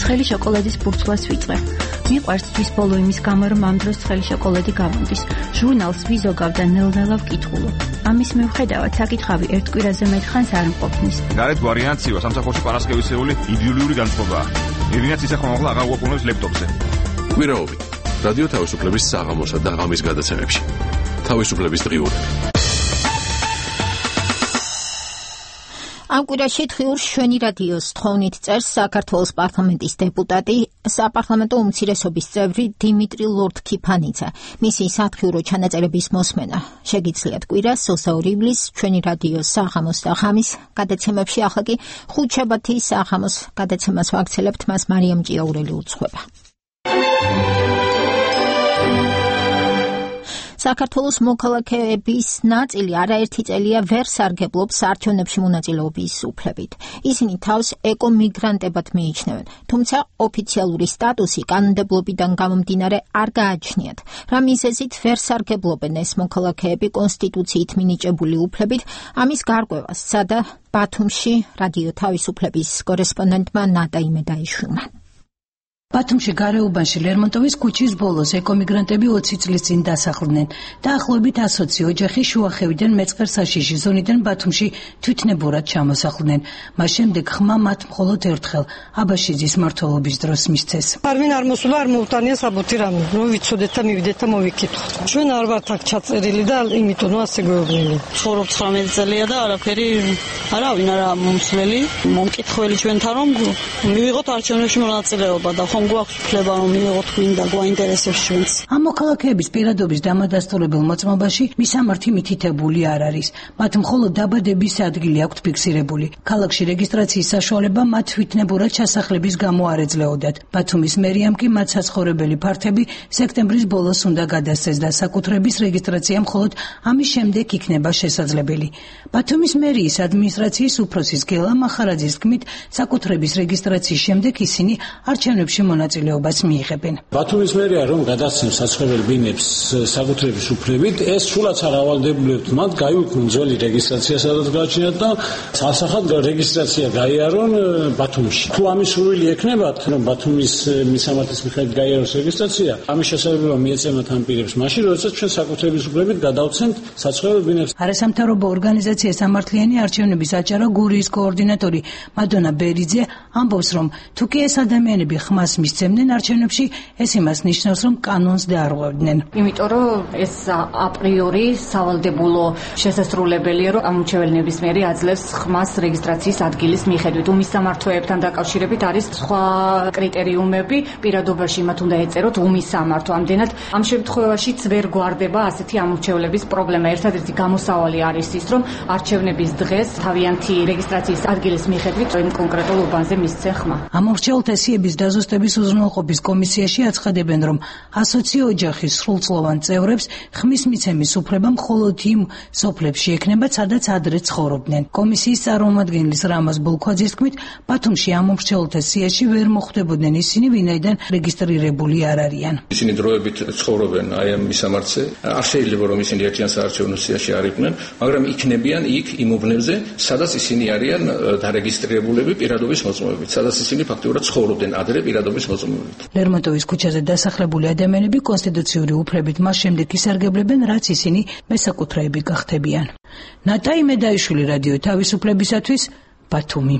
ცხელი შოკოლადის ბურცლას ვიწყებ. მიყვარს თვის ბოლო იმის გამო, რომ ამ დროს ცხელი შოკოლადი გამომდის. ჟურნალს ვიზოგავ და ნელ-ნელა ვკითხულობ. ამის მიუხედავად საკითხავი ერთ კვირაზე მეტხანს არ მყოფნის. გარეთ ვარიანციო სამსახურში პარასკევისეული იდეოლოგიური განწყობაა. ვინაც ისახმა ახლა აღარ უყურებს ლეპტოპზე. კვირაობით რადიო თავისუფლების საღამოსა და ღამის გადაცემებში. თავისუფლების დღიურები. ამ კვირაში დღიურ შვენი რადიოს თხოვნით წერს საქართველოს პარლამენტის დეპუტატი, საპარლამენტო უმცირესობის წევრი დიმიტრი ლორდ-ქიფანიძე. მისი სათხიურო ჩანაწერების მოსმენა შეგიძლიათ კვირას 22 ივლისს ჩვენი რადიოს საღამოს და ღამის გადაცემებში. ახლა კი ხუთშაბათის საღამოს გადაცემას ვაქცელებთ, მას მარიამ ჭიაურელი უძღვება. საქართველოს მოქალაქეების ნაწილი არაერთი წელია ვერ სარგებლობს საარჩევნებში მონაწილეობის უფლებით. ისინი თავს ეკომიგრანტებად მიიჩნევენ, თუმცა ოფიციალური სტატუსი კანონმდებლობიდან გამომდინარე არ გააჩნიათ. რა მიზეზით ვერ სარგებლობენ ეს მოქალაქეები კონსტიტუციით მინიჭებული უფლებით, ამის გარკვევას სცადა ბათუმში რადიო თავისუფლების კორესპონდენტმა ნატა იმედაიშვილმა. ბათუმში გარეუბანში ლერმონტოვის ქუჩის ბოლოს ეკომიგრანტები 20 წლის წინ დასახლდნენ. დაახლოებით 120 ოჯახი შუახევიდან მეწყერსაშიში ზონიდან ბათუმში თვითნებურად ჩამოსახლდნენ. მას შემდეგ ხმა მათ მხოლოდ ერთხელ აბაშიძის მმართველობის დროს მისცეს. არვინ არ მოსულა, არ მოუტანია საბუთი რამე. რომ ვიცოდეთ და მივიდეთ და მოვიკითხოთ. ჩვენ არ ვართ აქ ჩაწერილი და იმიტომ ასე გვეუბნები. ცხოვრობ 19 წელია და არაფერი არავინ არა მომსვლელი. მომკითხველი ჩვენთან რომ მივიღოთ არჩევნებში მონაწილეობა და ხომ გვაქვს უფლება რომ მიიღოთ გვინდა გვაინტერესებს ჩვენც. ამ მოქალაქეების პირადობის დამადასტურებელ მოწმობაში მისამართი მითითებული არ არის. მათ მხოლოდ დაბადების ადგილი აქვთ ფიქსირებული. ქალაქში რეგისტრაციის საშუალება მათ თვითნებურად ჩასახლების გამო არ ეძლეოდათ. ბათუმის მერიამ კი მათ საცხოვრებელი ფართები სექტემბრის ბოლოს უნდა გადასცეს და საკუთრების რეგისტრაცია მხოლოდ ამის შემდეგ იქნება შესაძლებელი. ბათუმის მერიის ადმინისტრაციის უფროსის გელა მახარაძის თქმით, საკუთრების რეგისტრაციის შემდეგ ისინი არჩევნებში მონაწილეობას მიიღებენ. ბათუმის მერია რომ გადასცემს საცხოვრებელ ბინებს საკუთრების უფლებით, ეს სულაც არ ავალდებულებთ მათ გაიუქმონ ძველი რეგისტრაცია, სადაც გააჩნიათ და სასახად რეგისტრაცია გაიარონ ბათუმში. თუ ამის სურვილი ექნებათ, რომ ბათუმის მისამართის მიხედვით გაიაროს რეგისტრაცია, ამის შესაძლებლობა მიეცემათ ამ პირებს მაშინ, როდესაც ჩვენ საკუთრების უფლებით გადავცემთ საცხოვრებელ ბინებს. არასამთავრობო ორგანიზაცია სამართლიანი არჩევნების აჭარა გურიის კოორდინატორი მადონა ბერიძე ამბობს, რომ თუ კი ეს ადამიანები ხმას მისცემდნენ არჩევნებში, ეს იმას ნიშნავს, რომ კანონს დაარღვევდნენ. იმიტომ რომ ეს აპრიორი სავალდებულო შესასრულებელია, რომ ამორჩეველი ნებისმიერი აძლევს ხმას რეგისტრაციის ადგილის მიხედვით. უმისამართოებთან დაკავშირებით არის სხვა კრიტერიუმები, პირადობაში მათ უნდა ეწეროთ უმისამართო. ამდენად ამ შემთხვევაშიც ვერ გვარდება ასეთი ამორჩევლების პრობლემა. ერთადერთი გამოსავალი არის ის, რომ არჩევნების დღეს თავიანთი რეგისტრაციის ადგილის მიხედვით იმ კონკრეტულ უბანზე მისცე ხმა. ამორჩეულთა სიების დაზუსტების უზრუნველყოფის კომისიაში აცხადებენ, რომ 120 ოჯახის სრულწლოვან წევრებს ხმის მიცემის უფლება მხოლოდ იმ სოფლებში ექნება, სადაც ადრე ცხოვრობდნენ. კომისიის წარმომადგენლის რამაზ ბოლქვაძის თქმით, ბათუმში ამორჩეულთა სიაში ვერ მოხვდებოდნენ ისინი, ვინაიდან რეგისტრირებული არ არიან. ისინი დროებით ცხოვრობენ აი ამ მისამართზე. არ შეიძლება რომ ისინი ერთიან საარჩევნო სიაში არ იყვნენ, მაგრამ იქნებიან იქ იმ უბნებზე, სადაც ისინი არიან დარეგისტრირებულები პირადობის მოწმობებით, სადაც ისინი ფაქტობრივად ცხოვრობდნენ ადრე პირადობის მოწმობებით. ლერმონტოვის ქუჩაზე დასახლებული ადამიანები კონსტიტუციური უფლებით მას შემდეგ ისარგებლებენ, რაც ისინი მესაკუთრეები გახდებიან. ნატაი მედაიშვილი, რადიო თავისუფლებისათვის, ბათუმი.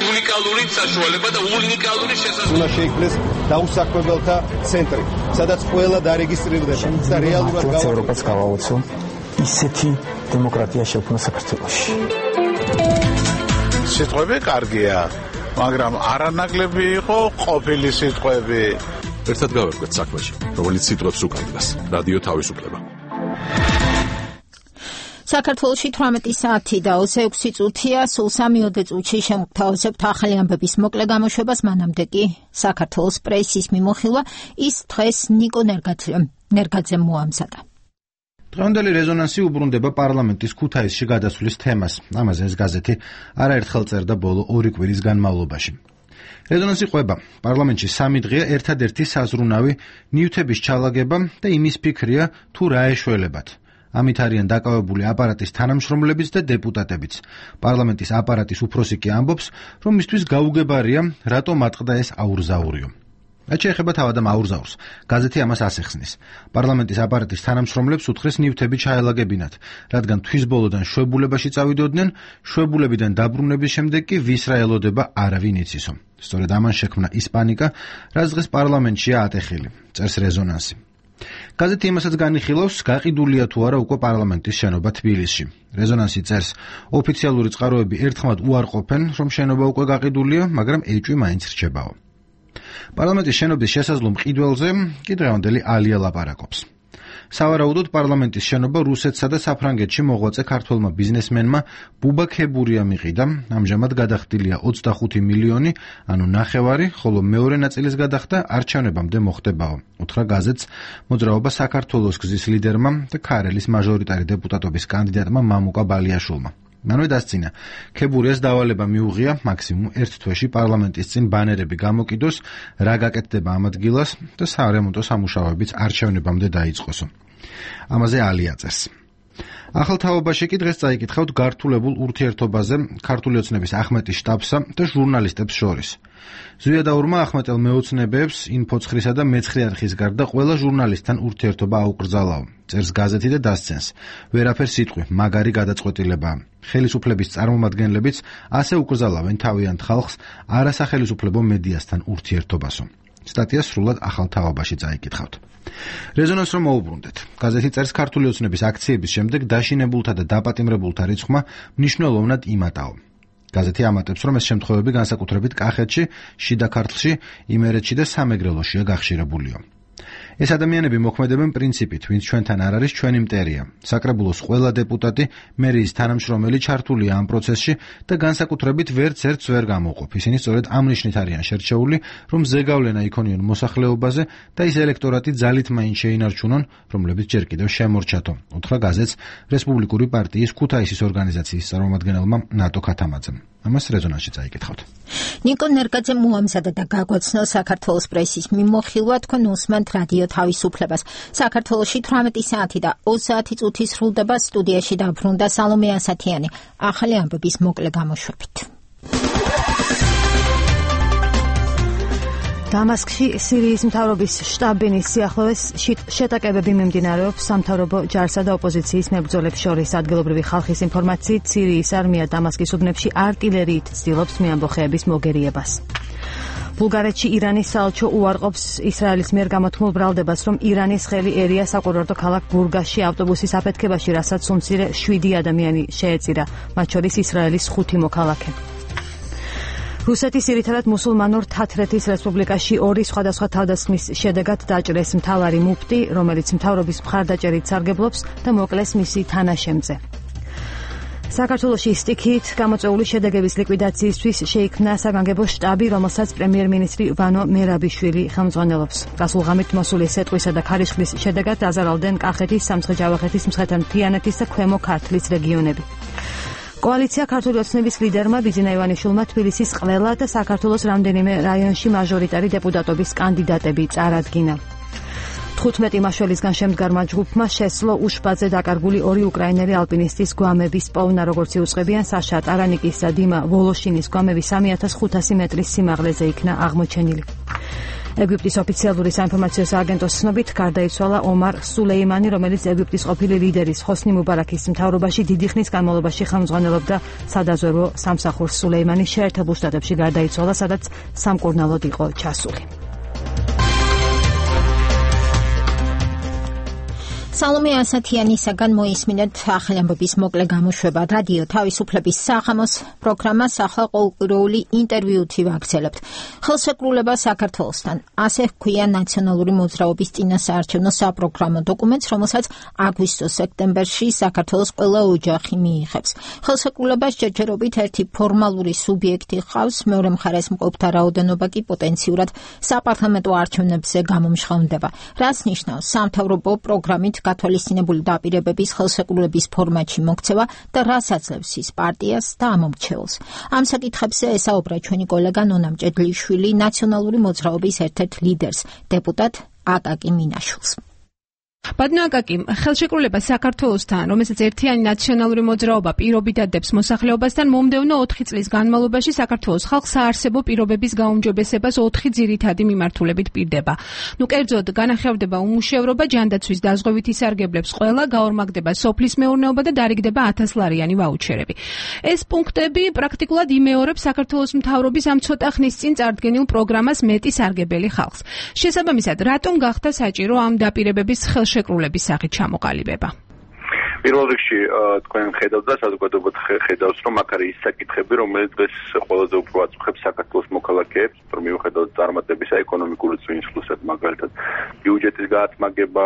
უნიკალური საშუალება და უნიკალური შესაძლებლობა. უნდა შეიქმნეს დაუსაქმებელთა ცენტრი, სადაც ყველა დარეგისტრირდება და რეალურად ევროპას გავაოცო ისეთი დემოკრატია შექმნა საქართველოში. სიტყვები კარგია, მაგრამ არანაკლები იყო ყოფილი სიტყვები. ერთად გავერკვეთ საქმეში, რომელიც სიტყვებს უკანდგას. რადიო თავისუფლება. საქართველოში 18 საათი და 26 წუთია, სულ 3 წუთში შემოგთავაზებთ ახალი ამბების მოკლე გამოშვებას, მანამდე კი საქართველოს პრესის მიმოხილვა ის დღეს ნიკო ნერგაძემ მოამზადა. დღევანდელი რეზონანსი უბრუნდება პარლამენტის ქუთაისში გადასვლის თემას. ამაზე ეს გაზეთი არაერთხელ წერდა ბოლო 2 კვირის განმავლობაში. რეზონანსი ყვება პარლამენტში 3 დღეა ერთადერთი საზრუნავი ნივთების ჩალაგება და იმის ფიქრია თუ რა ეშველებათ. ამით არიან დაკავებული აპარატის თანამშრომლებიც და დეპუტატებიც. პარლამენტის აპარატის უფროსი კი ამბობს, რომ მისთვის გაუგებარია, რატომ ატყდა ეს აურზაურიო. რაც შეეხება თავად ამ აურზაურს, გაზეთი ამას ასეხსნის. პარლამენტის აპარატის თანამშრომლებს უთხრეს ნივთები ჩაელაგებინათ, რადგან თვის ბოლოდან შვებულებაში წავიდოდნენ, შვებულებიდან დაბრუნების შემდეგ კი ვის რა ელოდება არავინ იცისო. სწორედ ამან შექმნა ის პანიკა, რაც დღეს პარლამენტშია ატეხილი, წერს რეზონანსი. გაზეთი იმასაც განიხილავს, გაყიდულია თუ არა უკვე პარლამენტის შენობა თბილისში. რეზონანსი წერს, ოფიციალური წყაროები ერთხმად უარყოფენ, რომ შენობა უკვე გაყიდულია, მაგრამ ეჭვი მაინც რჩებაო. პარლამენტის შენობის შესაძლო მყიდველზე კი დღევანდელი ალია ლაპარაკობს. სავარაუდოდ პარლამენტის შენობა რუსეთსა და საფრანგეთში მოღვაწე ქართველმა ბიზნესმენმა ბუბა ქებურია მიყიდა, ამჟამად გადახდილია 25 მილიონი, ანუ ნახევარი, ხოლო მეორე ნაწილის გადახდა არჩევნებამდე მოხდებაო. უთხრა გაზეთს მოძრაობა საქართველოს გზის ლიდერმა და ქარელის მაჟორიტარი დეპუტატობის კანდიდატმა მამუკა ბალიაშვილმა. მანვე დასწინა, ქებურიას დავალება მიუღია მაქსიმუმ 1 თვეში პარლამენტის წინ ბანერები გამოკიდოს, რა გაკეთდება ამ ადგილას და სარემონტო სამუშაოებიც არჩევნებამდე დაიწყოსო. ამაზე ალია წერს. ახალ თაობაში კი დღეს წაიკითხავთ გართულებულ ურთიერთობაზე ქართული ოცნების ახმეტის შტაბსა და ჟურნალისტებს შორის. ზვიადაურმა ახმეტელ მეოცნებებს ინფოცხრისა და მეცხრე არხის გარდა ყველა ჟურნალისტთან ურთიერთობა აუკრძალაო. წერს გაზეთი და დასცენს. ვერაფერ სიტყვი, მაგარი გადაწყვეტილებაა. ხელისუფლების წარმომადგენლებიც ასე უკრძალავენ თავიანთ ხალხს არასახელისუფლებო მედიასთან ურთიერთობასო. სტატია სრულად ახალ თაობაში წაიკითხავთ. რეზონანს რომ მოუბრუნდეთ. გაზეთი წერს ქართული ოცნების აქციების შემდეგ დაშინებულთა და დაპატიმრებულთა რიცხვმა მნიშვნელოვნად იმატაო. გაზეთი ამატებს, რომ ეს შემთხვევები განსაკუთრებით კახეთში, შიდა ქართლში, იმერეთში და სამეგრელოშია გახშირებულიო. ეს ადამიანები მოქმედებენ პრინციპით, ვინც ჩვენთან არ არის, ჩვენი მტერია. საკრებულოს ყველა დეპუტატი, მერიის თანამშრომელი ჩართულია ამ პროცესში და განსაკუთრებით ვერც ერთს ვერ გამოვყოფ. ისინი სწორედ ამ ნიშნით არიან შერჩეული, რომ ზეგავლენა იქონიონ მოსახლეობაზე და ის ელექტორატი ძალით მაინც შეინარჩუნონ, რომლებიც ჯერ კიდევ შემორჩათო. უთხრა გაზეთს რესპუბლიკური პარტიის ქუთაისის ორგანიზაციის წარმომადგენელმა ნატო ქათამაძემ. ამას რეზონანსში წაიკითხავთ. ნიკო ნერგაძე მოამზადა და გაგვაცნო საქართველოს პრესის მიმოხილვა, თქვენ უსმენთ რადიო თავისუფლებას. საქართველოში 18 საათი და 20 წუთი სრულდება. სტუდიაში დაბრუნდა სალომე ასათიანი. ახალი ამბების მოკლე გამოშვებით. დამასკში სირიის მთავრობის შტაბ-ბინის სიახლოვეს შეტაკებები მიმდინარეობს სამთავრობო ჯარსა და ოპოზიციის მებრძოლებს შორის. ადგილობრივი ხალხის ინფორმაციით, სირიის არმია დამასკის უბნებში არტილერიით ცდილობს მეამბოხეების მოგერიებას. ბულგარეთში ირანის საელჩო უარყოფს ისრაელის მიერ გამოთქმულ ბრალდებას, რომ ირანის ხელი ერია საკურორტო ქალაქ ბურგასში ავტობუსის აფეთქებაში, რასაც უმცირე 7 ადამიანი შეეწირა, მათ შორის ისრაელის 5 მოქალაქე. რუსეთის ძირითადად მუსულმანურ თათრეთის რესპუბლიკაში 2 სხვადასხვა თავდასხმის შედეგად დაჭრეს მთავარი მუფტი, რომელიც მთავრობის მხარდაჭერით სარგებლობს და მოკლეს მისი თანაშემწე. საქართველოში სტიქით გამოწვეული შედეგების ლიკვიდაციისთვის შეიქმნა საგანგებო შტაბი, რომელსაც პრემიერ-მინისტრი ვანო მერაბიშვილი ხელმძღვანელობს. გასულ ღამით მოსული სეტყვისა და ქარიშხლის შედეგად აზარალდნენ კახეთის, სამცხე-ჯავახეთის, მცხეთა-მთიანეთის და ქვემო ქართლის რეგიონები. კოალიცია ქართული ოცნების ლიდერმა ბიძინა ივანიშვილმა თბილისის ყველა და საქართველოს რამდენიმე რაიონში მაჟორიტარი დეპუტატობის კანდიდატები წარადგინა. 15 მაშველისგან შემდგარმა ჯგუფმა შესძლო უშბაძე დაკარგული 2 უკრაინელი ალპინისტის გვამების პოვნა, როგორც იუწყებიან საშა ტარანიკის და დიმა ვოლოშინის გვამები 3500 მეტრის სიმაღლეზე იქნა აღმოჩენილი. ეგვიპტის ოფიციალური საინფორმაციო სააგენტოს ცნობით გარდაიცვალა ომარ სულეიმანი, რომელიც ეგვიპტის ყოფილი ლიდერის ჰოსნი მუბარაქის მთავრობაში დიდი ხნის განმავლობაში ხელმძღვანელობდა სადაზვერვო სამსახურს. სულეიმანი შეერთებულ შტატებში გარდაიცვალა, სადაც სამკურნალოდ იყო ჩასული. სალომე ასათიანისაგან მოისმინეთ ახალი ამბების მოკლე გამოშვება. რადიო თავისუფლების საღამოს პროგრამას ახლა ყოველკვირეული ინტერვიუთი ვაგრძელებთ. ხელშეკრულება საქართველოსთან. ასე ჰქვია ნაციონალური მოძრაობის წინასაარჩევნო საპროგრამო დოკუმენტს, რომელსაც აგვისტო-სექტემბერში საქართველოს ყველა ოჯახი მიიღებს. ხელშეკრულებას ჯერჯერობით ერთი ფორმალური სუბიექტი ჰყავს, მეორე მხარეს მყოფთა რაოდენობა კი პოტენციურად საპარლამენტო არჩევნებზე გამომჟღავნდება. რაც ნიშნავს სამთავრობო პროგრამით გათვალისწინებული დაპირებების ხელშეკრულების ფორმატში მოქცევა და რას აძლევს ის პარტიას და ამომრჩეველს. ამ საკითხებზე ესაუბრა ჩვენი კოლეგა ნონა მჭედლიშვილი ნაციონალური მოძრაობის ერთ-ერთ ლიდერს, დეპუტატ აკაკი მინაშვილს. ბატონო აკაკი, ხელშეკრულება საქართველოსთან, რომელსაც ერთიანი ნაციონალური მოძრაობა პირობითად დებს მოსახლეობასთან, მომდევნო 4 წლის განმავლობაში საქართველოს ხალხს საარსებო პირობების გაუმჯობესებას 4 ძირითადი მიმართულებით პირდება. კერძოდ, განახევრდება უმუშევრობა, ჯანდაცვის დაზღვევითი სარგებლებს ყველა, გაორმაგდება სოფლის მეურნეობა და დარიგდება 1000 ლარიანი ვაუჩერები. ეს პუნქტები პრაქტიკულად იმეორებს საქართველოს მთავრობის ამ ცოტა ხნის წინ წარდგენილ პროგრამას მეტი სარგებელი ხალხს. შესაბამისად, რატომ გახდა საჭირო ამ დაპირებების ხელშეკრულების სახით ჩამოყალიბება? პირველ რიგში თქვენ ხედავთ და საზოგადოება ხედავს, რომ აქ არის ის საკითხები, რომელიც დღეს ყველაზე უფრო აწუხებს საქართველოს მოქალაქეებს, რომ მიუხედავად წარმატებისა ეკონომიკური წინსვლისად, მაგალითად ბიუჯეტის გაათმაგება,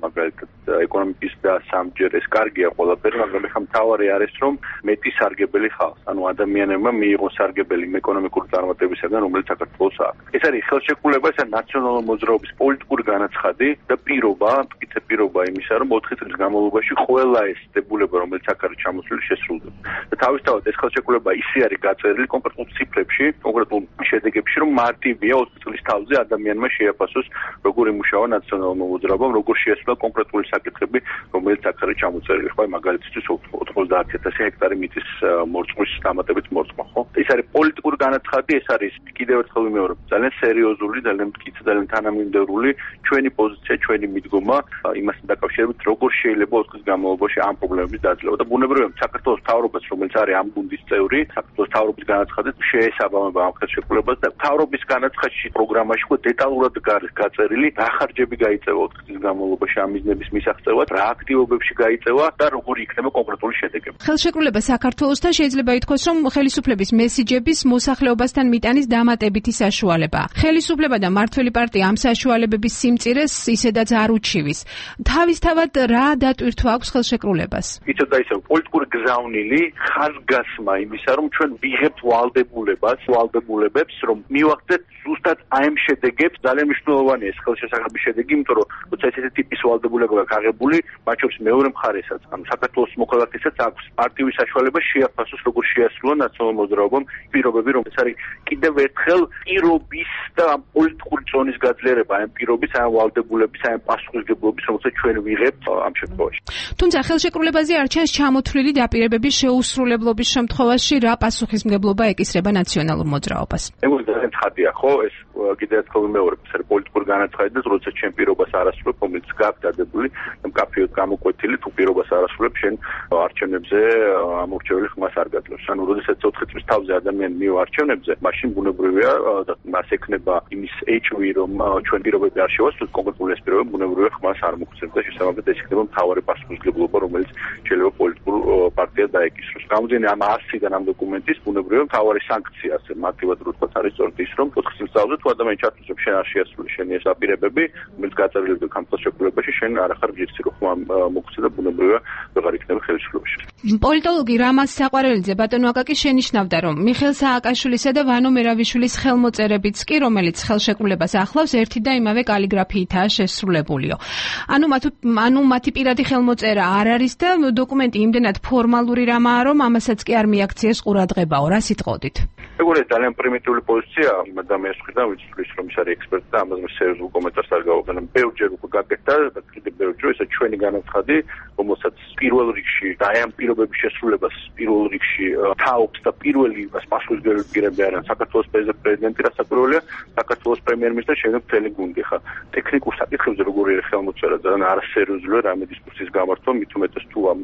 მაგალითად ეკონომიკის და სამჯერ ეს კარგია ყველაფერი, მაგრამ ეხლა მთავარი არის, რომ მეტი სარგებელი ხალხს, ანუ ადამიანებმა მიიღონ სარგებელი ეკონომიკური წარმატებისაგან, რომელიც საქართველოს აქვს. ეს არის ხელშეკრულება, ეს არის ნაციონალური მოძრაობის პოლიტიკური განაცხადი და პირობა, მტკიცე პირობა იმისა, რომ 4 წლის განმავლობაში ყველა ეს დებულება, რომელიც აქ არის ჩამოსული, შესრულდება. და თავისთავად ეს ხელშეკრულება ისე არის გაწერილი კონკრეტულ ციფრებში, კონკრეტულ შედეგებში, რომ მარტივია 20 წლის თავზე ადამიანმა შეაფასოს, როგორ იმუშავა ნაციონალურმა მოძრაობამ, როგორ შეასრულა კონკრეტული საკითხები, რომელიც აქ არის ჩამოწერილი. ხო, მაგალითისთვის 90000 ჰექტარი მიწის მორწმვის დამატებით მორწმა, ხო? ეს არის პოლიტიკური განაცხადი, ეს არის კიდევ ერთხელ ვიმეორებ, ძალიან სერიოზული, ძალიან მტკიცე, ძალიან თანამიმდევრული ჩვენი პოზიცია, ჩვენი მიდგომა იმასთან დაკავშირებით, როგორ შეიძლება 4 წლის განმავლობაში ამ პრობლემების დაძლევა და ბუნებრივია საქართველოს მთავრობას, რომელიც არის ამ გუნდის წევრი, საქართველოს მთავრობის განაცხადით შეესაბამება ამ ხელშეკრულებას და მთავრობის განაცხადში პროგრამაში უკვე დეტალურად გაწერილი რა ხარჯები გაიწევა 4 წლის განმავლობაში ამ მიზნების მისაღწევად, რა აქტივობებში გაიწევა და როგორი იქნება კონკრეტული შედეგები. ხელშეკრულება საქართველოსთან შეიძლება ითქვას, რომ ხელისუფლების მესიჯების მოსახლეობასთან მიტანის დამატებითი საშუალებაა. ხელისუფლება და მმართველი პარტია ამ საშუალებების სიმწირეს ისედაც არ უჩივის. თავისთავად რა დატვირთვა აქვს ხელშეკრულებას? იცით და ისე პოლიტიკური გზავნილი ხაზგასმა იმისა, რომ ჩვენ ვიღებთ ვალდებულებებს, რომ მივახცეთ ზუსტად აი ამ შედეგებს. ძალიან მნიშვნელოვანია ეს ხელშესახების შედეგი, იმიტომ რომ როცა ესეთი ტიპის ვალდებულებაა გაღებული, მათ შორის მეორე მხარესაც, ანუ საქართველოს მოქალაქესაც აქვს აქტიური საშუალება შეაფასოს, როგორ შეასრულა ნაციონალურ მოძრაობამ პირობები, რომ ეს არის კიდევ ერთხელ პირობის და პოლიტიკური ზონის გაძლიერება, ამ პირობის, ამ ვალდებულების, ამ პასუხისმგებლობის, რომელსაც ჩვენ ვიღებთ ამ შემთხვევაში. თუმცა ხელშეკრულებაზე არ ჩანს ჩამოთვლილი დაპირებების შეუსრულებლობის შემთხვევაში რა პასუხისმგებლობა ეკისრება ნაციონალურ მოძრაობას. ეგ ძალიან ცხადია, ხო? ეს კიდევ ერთხელ ვიმეორებ, ეს არის პოლიტიკური განაცხადი და როცა ჩვენ პირობას არ ასრულებ, რომელიც გაქვს დადებული, მკაფიოდ გამოკვეთილი, თუ პირობას არ ასრულებ, შენ არჩევნებზე ამორჩეველი ხმას არ გაძლევს. ანუ როდესაც 4 წლის თავზე ადამიანი მივა არჩევნებზე, მაშინ ბუნებრივია და მას ექნება იმის ეჭვი, რომ ჩვენ პირობები არ შევასრულოთ, კონკრეტული ეს პირობები ბუნებრივია ხმას არ მოგცემს და შესაბამისად ეს იქნება მთავარი პასუხისმგებლობა, რომელიც შეიძლება პოლიტიკურ პარტიას დაეკისროს. გამომდინარე ამ არსიდან ამ დოკუმენტის ბუნებრივია მთავარი სანქცია, ასე მარტივად რო ვთქვათ, არის სწორედ ის, რომ 4 წლის თავზე თუ ადამიანი ჩათვლის, რომ შენ არ შეასრულე შენი ეს დაპირებები, რომელიც გაწერილი ხელშეკრულებაში, შენ არ ახარ ჯერცი რო ხმა მოგცე და ბუნებრივია ვეღარ იქნება ხელისუფლებაში. პოლიტოლოგი რამაზ საყვარელიძე ბატონო აკაკი შენიშნავდა, რომ მიხეილ სააკაშვილისა და ვანო მერავიშვილის ხელმოწერებიც კი, რომელიც ხელშეკრულებას ახლავს, ერთი და იმავე კალიგრაფიითაა შესრულებულიო. ანუ მათი პირადი ხელმოწერა არ არის და დოკუმენტი იმდენად ფორმალური რამაა, რომ ამასაც კი არ მიაქციეს ყურადღებაო. რა სიტყოდით? ეგ ძალიან პრიმიტიული პოზიცია იმ ადამიანის მხრიდან, ვინც თulis რომ ის არის ექსპერტი და ამაზე სერიოზულ კომენტარს არ გავუყენებ. ბევრჯერ უკვე გაკეთდა და კიდევ ბევრჯერ ესა ჩვენი განაცხადი, რომელსაც პირველ რიგში და აი ამ პირობების შესრულებას პირველ რიგში თაობს და პირველი პასუხისმგებელი პირები არიან საქართველოს პრეზიდენტი, რასაკვირველია, საქართველოს პრემიერ-მინისტრი, შემდეგ მთელი გუნდი. ხა ტექნიკურ საკითხებზე როგორი არის ხელმოწერა, ძალიან არასერიოზულია რამე დისკუსიის გამართვა, მით უმეტეს თუ ამ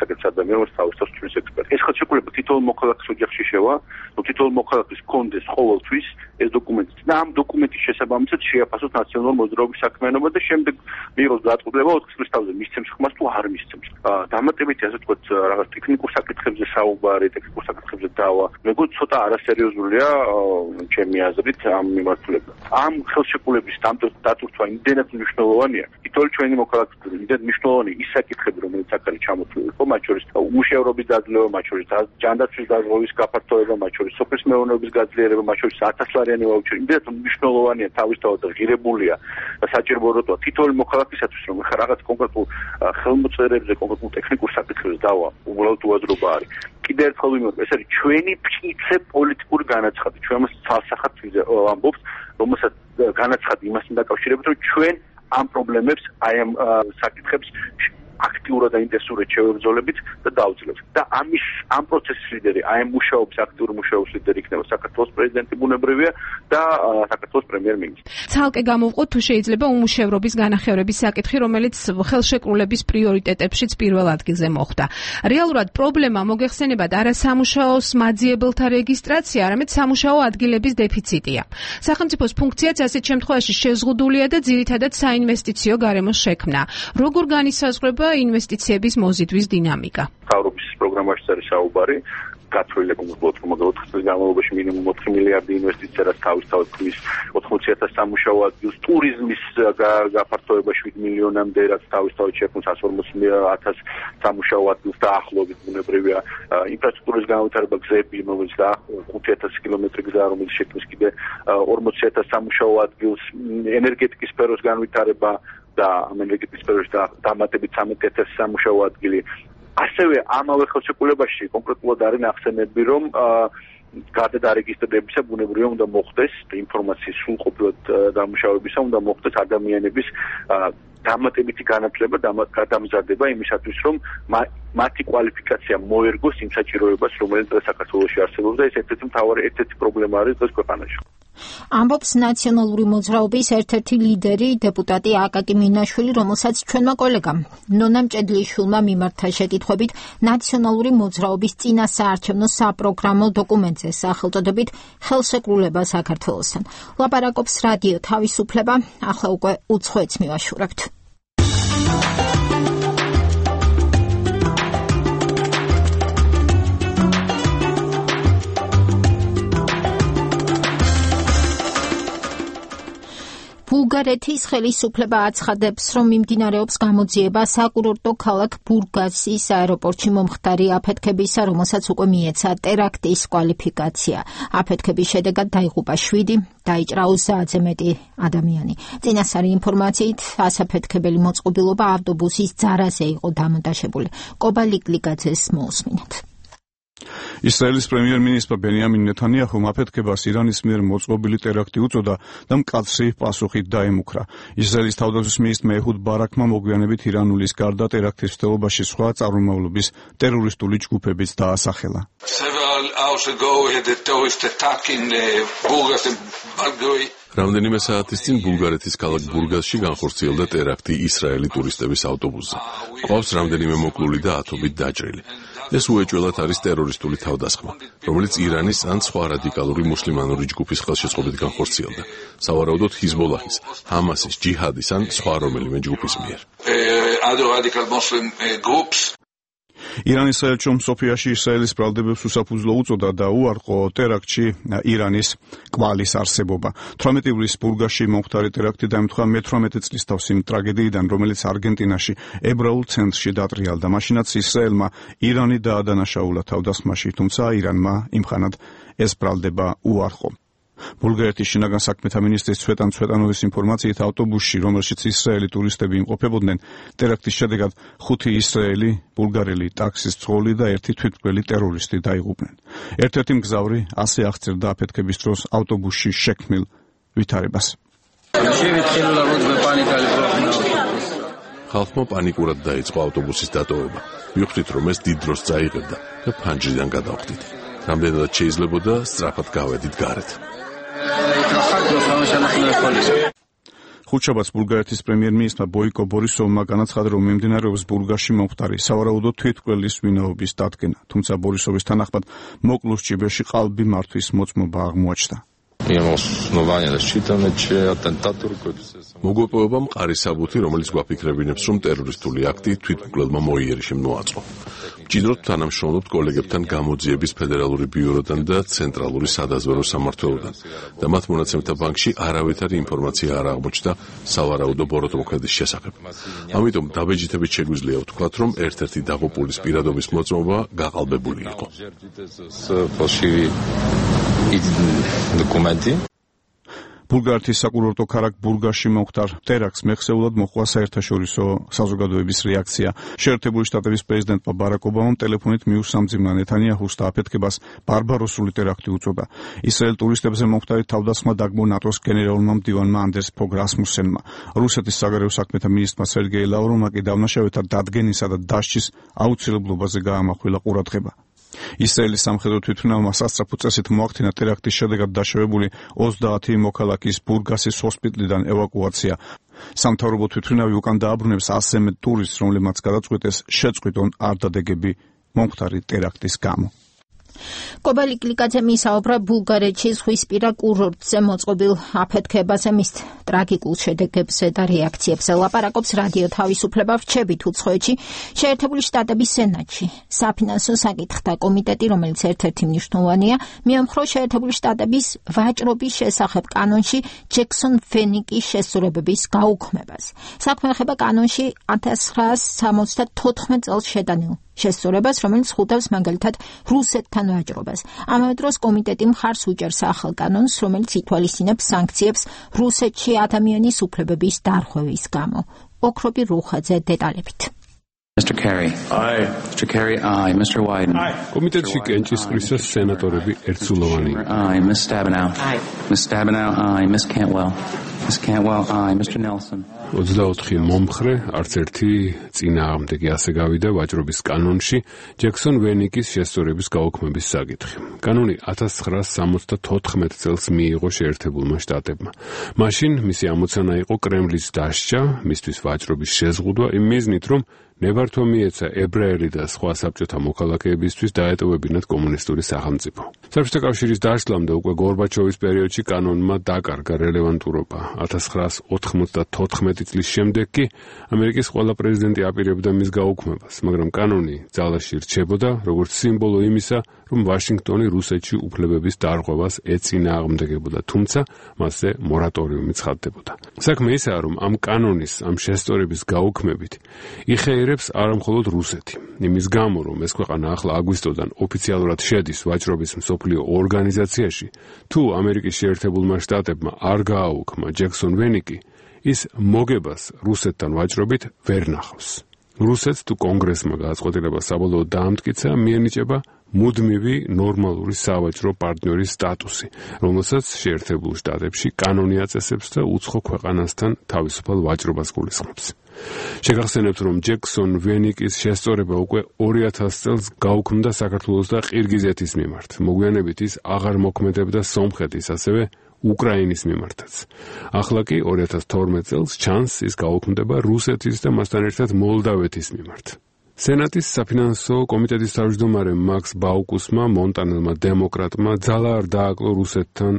საკითხს ადამიანს თავისთავად თulis ექსპერტი. ეს ხელშეკრულება თითოეულ მოქალაქის ოჯახში შევა, თითოეულ მოქალაქის კონდეს ყოველთვის ეს დოკუმენტი და ამ დოკუმენტის შესაბამისად შეაფასოს ნაციონალური მოძრაობის საქმიანობა და შემდეგ მიიღოს დაწყვეტილება 4 წლის თავზე მისცემს ხმას თუ არ მისცემს. დამატებითი ასე ვთქვათ რაღაც ტექნიკურ საკითხებზე საუბარი, ტექნიკურ საკითხებზე დავა. მეგონა ცოტა არასერიოზულია ჩემი აზრით ამ მიმართულებით. ამ ხელშეკრულების დაწვრთვა იმდენად მნიშვნელოვანია, თითოეული ჩვენი მოქალაქის იმდენად მნიშვნელოვანი ის საკითხები, რომელიც აქ არის ჩამოთვლილი, ხო, მათ შორის უმუშევრობის დაძლევა, მათ შორის ჯანდაცვის დაზღვევის გაფართოება, მათ შორის სოფლის მეურნეობის გაძლიერება, მათ შორის 1000-ლარიანი ვაუჩერი, იმდენად მნიშვნელოვანია თავისთავად და ღირებულია და საჭირო როტვა თითოეული მოქალაქისათვის, რომ ხა რაღაც კონკრეტულ ხელმოწერებზე, კონკრეტულ ტექნიკურ საკითხებზე დავა, უბრალოდ უაზრობა არის. კიდევ ერთხელ ვიმეორებ, ეს არის ჩვენი მტკიცე პოლიტიკური განაცხადი. ჩვენ მას ცალსახად ვამბობთ, რომელსაც განაცხადი იმასთან დაკავშირებით, რომ ჩვენ ამ პრობლემებს, აი ამ საკითხებს აქტიურად და ინტენსიურად შევებრძოლებით და დავძლევთ. და ამ პროცესის ლიდერი, აი ამ მუშაობის აქტიური მუშაობის ლიდერი იქნება საქართველოს პრეზიდენტი ბუნებრივია და საქართველოს პრემიერ-მინისტრი. ცალკე გამოვყოთ თუ შეიძლება უმუშევრობის განახევრების საკითხი, რომელიც ხელშეკრულების პრიორიტეტებშიც პირველ ადგილზე მოხვდა. რეალურად პრობლემა მოგეხსენებათ არა სამუშაოს მაძიებელთა რეგისტრაცია, არამედ სამუშაო ადგილების დეფიციტია. სახელმწიფოს ფუნქციაც ასეთ შემთხვევაში შეზღუდულია და ძირითადად საინვესტიციო გარემოს შექმნა. როგორ განისაზღვრება ინვესტიციების მოზიდვის დინამიკა? მთავრობის პროგრამაში არის საუბარი გათვლილი კონკრეტულად 4 წლის განმავლობაში მინიმუმ 4 მილიარდი ინვესტიცია რაც თავისთავად ქმნის 80,000 სამუშაო ადგილს, ტურიზმის გაფართოება 7 მილიონამდე რაც თავისთავად შექმნის 140,000 სამუშაო ადგილს დაახლოებით ბუნებრივია, ინფრასტრუქტურის განვითარება, გზები, რომელიც და 5,000 კილომეტრი გზა, რომელიც შექმნის კიდე 40,000 სამუშაო ადგილს, ენერგეტიკის სფეროს განვითარება და ამ ენერგეტიკის სფეროში დამატებით 13,000 სამუშაო ადგილი. ასევე ამავე ხელშეკრულებაში კონკრეტულად არის ნახსენები, რომ გარდა დარეგისტრირებისა ბუნებრივია უნდა მოხდეს ინფორმაციის სრულყოფილად დამუშავებისა, უნდა მოხდეს ადამიანების დამატებითი განათლება, გადამზადება იმისათვის, რომ მათი კვალიფიკაცია მოერგოს იმ საჭიროებას, რომელიც საქართველოში არსებობს და ეს ერთ-ერთი მთავარი პრობლემა არის დღეს ქვეყანაში. ამბობს ნაციონალური მოძრაობის ერთ-ერთი ლიდერი, დეპუტატი აკაკი მინაშვილი, რომელსაც ჩვენმა კოლეგამ ნონა მჭედლიშვილმა მიმართა შეკითხვებით ნაციონალური მოძრაობის წინასაარჩევნო საპროგრამო დოკუმენტზე სახელწოდებით ხელშეკრულება საქართველოსთან. ლაპარაკობს რადიო თავისუფლება, ახლა უკვე უცხოეთს მივაშურებთ. ბულგარეთის ხელისუფლება აცხადებს, რომ მიმდინარეობს გამოძიება საკურორტო ქალაქ ბურგასის აეროპორტში მომხდარი აფეთქებისა, რომელსაც უკვე მიეცა ტერაქტის კვალიფიკაცია. აფეთქების შედეგად დაიღუპა 7, დაიჭრა 30-ზე მეტი ადამიანი. წინასწარი ინფორმაციით, ასაფეთქებელი მოწყობილობა ავტობუსის ძარაზე იყო დამონტაჟებული. კობა ლიკლიკაძეს მოусმინოთ. ისრაელის პრემიერ-მინისტრმა ბენიამინ ნეთანიაჰუმ აფეთქებას ირანის მიერ მოწყობილი ტერაქტი უწოდა და მკაცრი პასუხით დაემუქრა. ისრაელის თავდაცვის მინისტრმა ეჰუდ ბარაქმა მოგვიანებით ირანულის გარდა ტერაქტის მცდელობაში სხვა წარმომავლობის ტერორისტული ჯგუფებიც დაასახელა. რამდენიმე საათის წინ ბულგარეთის ქალაქ ბურგასში განხორციელდა ტერაქტი ისრაელი ტურისტების ავტობუსზე. ყავს რამდენიმე მოკლული და ათობით დაჭრილი. ეს უეჭველად არის ტერორისტული თავდასხმა, რომელიც ირანის ან სხვა რადიკალური მუსლიმანური ჯგუფის ხელშეწყობით განხორციელდა, სავარაუდოდ ჰიზბოლაჰის, ჰამასის, ჯიჰადის ან სხვა რომელიმე ჯგუფის მიერ. ირანის საელჩო სოფიაში ისრაელის ბრალდებებს უსაფუძვლო უწოდა და უარყო ტერაქტში ირანის კვალის არსებობა. 18 ივლისს ბურგასში მომხდარი ტერაქტი დაემთხვა მე-18 წლის თავს იმ ტრაგედიიდან, რომელიც არგენტინაში ებრაულ ცენტრში დატრიალდა. მაშინაც ისრაელმა ირანი დაადანაშაულა თავდასხმაში, თუმცა ირანმა იმხანად ეს ბრალდება უარყო. ბულგარეთის შინაგან საქმეთა მინისტრის ცვეტან ცვეტანოვის ინფორმაციით ავტობუსში, რომელშიც ისრაელი ტურისტები იმყოფებოდნენ, ტერაქტის შედეგად 5 ისრაელი, ბულგარელი ტაქსის მძღოლი და 1 თვითმკვლელი ტერორისტი დაიღუპნენ. ერთ-ერთი მგზავრი ასე აღწერდა აფეთქების დროს ავტობუსში შექმნილ ვითარებას. ხალხმა პანიკურად დაიწყო ავტობუსის დატოვება. ვიხდით, რომ ეს დიდ დროს წაიღებდა და ფანჯრიდან გადავხდით. რამდენადაც შეიძლებოდა სწრაფად გავედით გარეთ. ხუთშაბათს ბულგარეთის პრემიერ-მინისტრმა ბოიკო ბორისოვმა განაცხადა, რომ მიმდინარეობს ბურგასში მომხდარი სავარაუდო თვითმკვლელის ვინაობის დადგენა, თუმცა ბორისოვის თანახმად მოკლულ სჭიბერში ყალბი მართვის მოწმობა აღმოაჩნდა. მოგვეპოვება მყარი საბუთი, რომელიც გვაფიქრებინებს, რომ ტერორისტული აქტი თვითმკვლელმა მოიერიშემ მოაწყო. მჭიდროდ თანამშრომლობთ კოლეგებთან გამოძიების ფედერალური ბიუროდან და ცენტრალური სადაზვერვო სამმართველოდან და მათ მონაცემთა ბანკში არავითარი ინფორმაცია არ აღმოჩნდა სავარაუდო ბოროტმოქმედის შესახებ. ამიტომ დაბეჭდებით შეგვიძლია ვთქვათ, რომ ერთ-ერთი დაღუპულის პირადობის მოწმობა გაყალბებული იყო. ბულგარეთის საკურორტო ქალაქ ბურგასში მომხდარ ტერაქტს მეხსეულად მოჰყვა საერთაშორისო საზოგადოების რეაქცია. შეერთებული შტატების პრეზიდენტმა ბარაკ ობამამ ტელეფონით მიუსამძიმნა ნეთანიაჰუს და აფეთქებას ბარბაროსული ტერაქტი უწოდა. ისრაელ ტურისტებზე მომხდარი თავდასხმა დაგმო ნატოს გენერალურმა მდივანმა ანდერს ფოგ რასმუსენმა. რუსეთის საგარეო საქმეთა მინისტრმა სერგეი ლავროვმა კი დავნაშავეთა დადგენისა და დასჯის აუცილებლობაზე გაამახვილა ყურადღება. ისრაელის სამხედრო თვითმფრინავმა სასწრაფო წესით მოახდინა ტერაქტის შედეგად დაშავებული 30 მოქალაქის ბურგასის ჰოსპიტალიდან ევაკუაცია. სამთავრობო თვითმფრინავი უკან დააბრუნებს 100-ზე მეტ ტურისტს, რომლებმაც გადაწყვეტეს შეწყვიტონ არდადეგები მომხდარი ტერაქტის გამო. კობა ლიკლიკაძე მისაუბრა ბულგარეთში ზღვისპირა კურორტზე მოწყობილ აფეთქებაზე, მის ტრაგიკულ შედეგებზე და რეაქციებზე. ლაპარაკობს რადიო თავისუფლება. რჩებით უცხოეთში შეერთებული შტატების სენატში. საფინანსო საკითხთა კომიტეტი, რომელიც ერთ-ერთი მნიშვნელოვანია, მიამხრო შეერთებული შტატების ვაჭრობის შესახებ კანონში ჯექსონ ფენიკის შესწორებების გაუქმებას. საქმე ეხება კანონში 1974 წელს შეტანილ შესწორებას, რომელიც ხვდავს მაგალითად რუსეთთან ვაჭრობას. ამავე დროს კომიტეტი მხარს უჭერს ახალ კანონს, რომელიც ითვალისწინებს სანქციებს რუსეთში ადამიანის უფლებების დარღვევის გამო. ოქრობი რუხაძე დეტალებით. Mr. Kerry. Aye. Mr. Kerry, aye. Mr. Wyden. Aye. კომიტეტში კენჭისყრისას სენატორები ერთსულოვანი. Aye. Ms. Stabenow. Aye. Ms. Stabenow, aye. Ms. Cantwell. Ms. Cantwell, aye. Mr. Nelson. 24 მომხრე, არც ერთი წინააღმდეგი ასე გავიდა ვაჭრობის კანონში ჯექსონ ვენიკის შესწორების გაუქმების საკითხი. კანონი 1974 წელს მიიღო შეერთებულმა შტატებმა. მაშინ მისი ამოცანა იყო კრემლის დასჯა, მისთვის ვაჭრობის შეზღუდვა იმ მიზნით, რომ ნებართვა მიეცა ებრაელი და სხვა საბჭოთა მოქალაქეებისთვის დაეტოვებინათ კომუნისტური სახელმწიფო. საბჭოთა კავშირის დაშლამდე უკვე გორბაჩოვის პერიოდში კანონმა დაკარგა რელევანტურობა. 1994 წლის შემდეგ კი ამერიკის ყველა პრეზიდენტი აპირებდა მის გაუქმებას, მაგრამ კანონი ძალაში რჩებოდა როგორც სიმბოლო იმისა, რომ ვაშინგტონი რუსეთში უფლებების დარღვევას ეწინააღმდეგებოდა, თუმცა მასზე მორატორიუმი ცხადდებოდა. საქმე ისაა, რომ ამ კანონის, ამ შესწორების გაუქმებით იხეირებს არამხოლოდ რუსეთი. იმის გამო, რომ ეს ქვეყანა ახლა აგვისტოდან ოფიციალურად შედის ვაჭრობის მსოფლიო ორგანიზაციაში, თუ ამერიკის შეერთებულმა შტატებმა არ გააუქმა ჯექსონ ვენიკი, ის მოგებას რუსეთთან ვაჭრობით ვერ ნახავს. რუსეთს თუ კონგრესმა გადაწყვეტილება საბოლოოდ დაამტკიცა, მიენიჭება მუდმივი ნორმალური სავაჭრო პარტნიორის სტატუსი, რომელსაც შეერთებულ შტატებში კანონი აწესებს და უცხო ქვეყანასთან თავისუფალ ვაჭრობას გულისხმობს. შეგახსენებთ, რომ ჯექსონ ვენიკის შესწორება უკვე 2000 წელს გაუქმდა საქართველოს და ყირგიზეთის მიმართ. მოგვიანებით ის აღარ მოქმედებდა სომხეთის, ასევე უკრაინის მიმართაც. ახლა კი 2012 წელს ჩანს ის გაუქმდება რუსეთის და მასთან ერთად მოლდავეთის მიმართ. სენატის საფინანსო კომიტეტის თავმჯდომარე მაქს ბაუკუსმა, მონტანელმა დემოკრატმა ძალა არ დააკლო რუსეთთან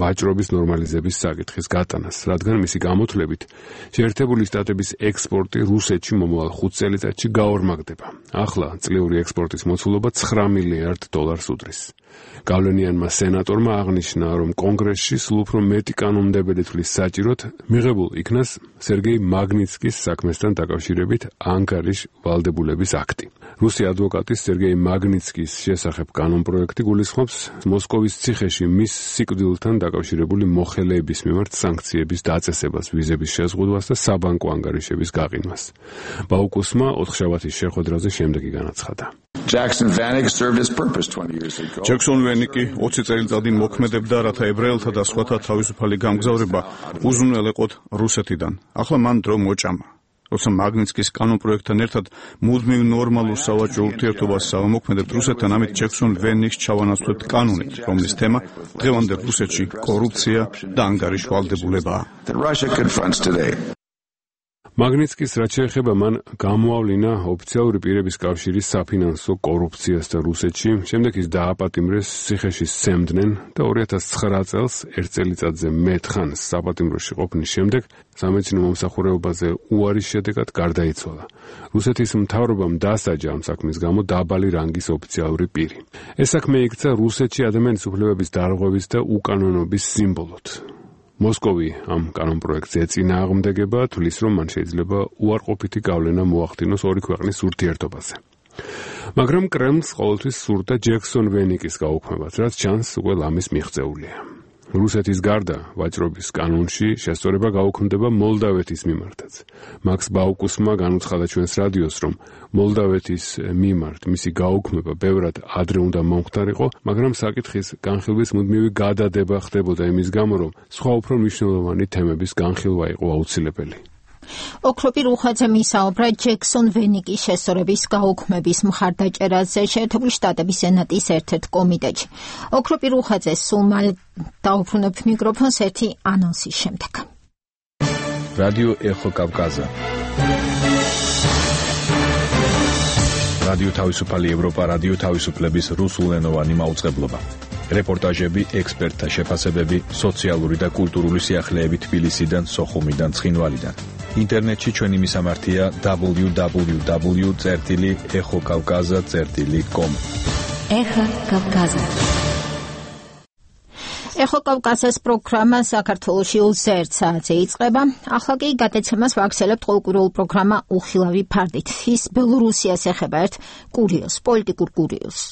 ვაჭრობის ნორმალიზების საკითხის გატანას, რადგან მისი გამოთვლებით შეერთებული შტატების ექსპორტი რუსეთში მომავალ 5 წელიწადში გაორმაგდება. ახლა წლიური ექსპორტის მოცულობა $9 მილიარდ უდრის. გავლენიანმა სენატორმა აღნიშნა, რომ კონგრესში სულ უფრო მეტი კანონმდებელი თვლის საჭიროდ მიღებულ იქნას სერგეი მაგნიცკის საქმესთან დაკავშირებით ანკარის ვალდებულების აქტი. რუსი ადვოკატის სერგეი მაგნიცკის შესახებ კანონპროექტი გულისხმობს მოსკოვის ციხეში მის სიკვდილთან დაკავშირებული მოხელეების მიმართ სანქციების დაწესებას, ვიზების შეზღუდვას და საბანკო ანგარიშების გაყიდვას. ბაუკუსმა 4-შაბათის შეხვედრაზე შემდეგი განაცხადა. ჯექსონ ვენიკი 20 წელიწადი მოქმედებდა, რათა ებრაელთა და სხვათა თავისუფალი გამგზავრება უზრუნველეყოთ რუსეთიდან. ახლა მან დრო მოჭამა. როცა მაგნიცკის კანონპროექტთან ერთად მუდმივ ნორმალურ სავაჭრო ურთიერთობას ავამოქმედებთ რუსეთთან, ამით ჯექსონ ვენიკს ჩავანაცვლებთ კანონით, რომლის თემა დღევანდელ რუსეთში კორუფცია და ანგარიშვალდებულებაა. მაგნიცკის რაც შეეხება მან გამოავლინა ოფიციალური პირების კავშირის საფინანსო კორუფციას და რუსეთში, შემდეგ ის დააპატიმრეს ციხეში სემდნენ და 2009 წელს ერთ წელიწადზე მეტ ხანს საპატიმროში ყოფნის შემდეგ სამეცნიერო მომსახურებაზე უარის შედეგად გარდაიცვალა. რუსეთის მთავრობამ დასაჯა ამ საქმის გამო დაბალი რანგის ოფიციალური პირი. ეს საქმე იქცა რუსეთში ადამიანის უფლებების დარღვევის და უკანონობის სიმბოლოდ. მოსკოვი ამ კანონპროექტს ეწინააღმდეგება, თვლის, რომ მან შეიძლება უარყოფითი გავლენა მოახდინოს ორი ქვეყნის ურთიერთობაზე. მაგრამ კრემლს ყოველთვის სურდა ჯექსონ ვენიკის გაუქმებას, რაც ჩანს უკვე ლამის მიღწეულია. რუსეთის გარდა ვაჭრობის კანონში შესწორება გაუქმდება მოლდავეთის მიმართაც. მაქს ბაუკუსმა განუცხადა ჩვენს რადიოს, რომ მოლდავეთის მიმართ მისი გაუქმება ბევრად ადრე უნდა მომხდარიყო, მაგრამ საკითხის განხილვის მუდმივი გადადება ხდებოდა იმის გამო, რომ სხვა უფრო მნიშვნელოვანი თემების განხილვა იყო აუცილებელი. ოქროპი რუხაძე მისაუბრა ჯექსონ ვენიკის შესწორების გაუქმების მხარდაჭერაზე შეერთებული შტატების სენატის ერთ-ერთ კომიტეტში. ოქროპი რუხაძე სულ მალე დაუბრუნებთ მიკროფონს ერთი ანონსის შემდეგ. რადიო ეხო კავკაზა. რადიო თავისუფალი ევროპა, რადიო თავისუფლების რუსულენოვანი მაუწყებლობა. რეპორტაჟები, ექსპერტთა შეფასებები, სოციალური და კულტურული სიახლეები თბილისიდან, სოხუმიდან, ცხინვალიდან. ინტერნეტში ჩვენი მისამართია www.ეხოკავკაზა.com. ეხა კავკაზა. ეხო კავკასიის პროგრამა საქართველოში 21 საათზე იწყება. ახლა კი გადაცემას ვაგრძელებთ ყოველკვირეულ პროგრამა უხილავი ფარდით. ის ბელორუსიას ეხება ერთ კურიოზს, პოლიტიკურ კურიოზს.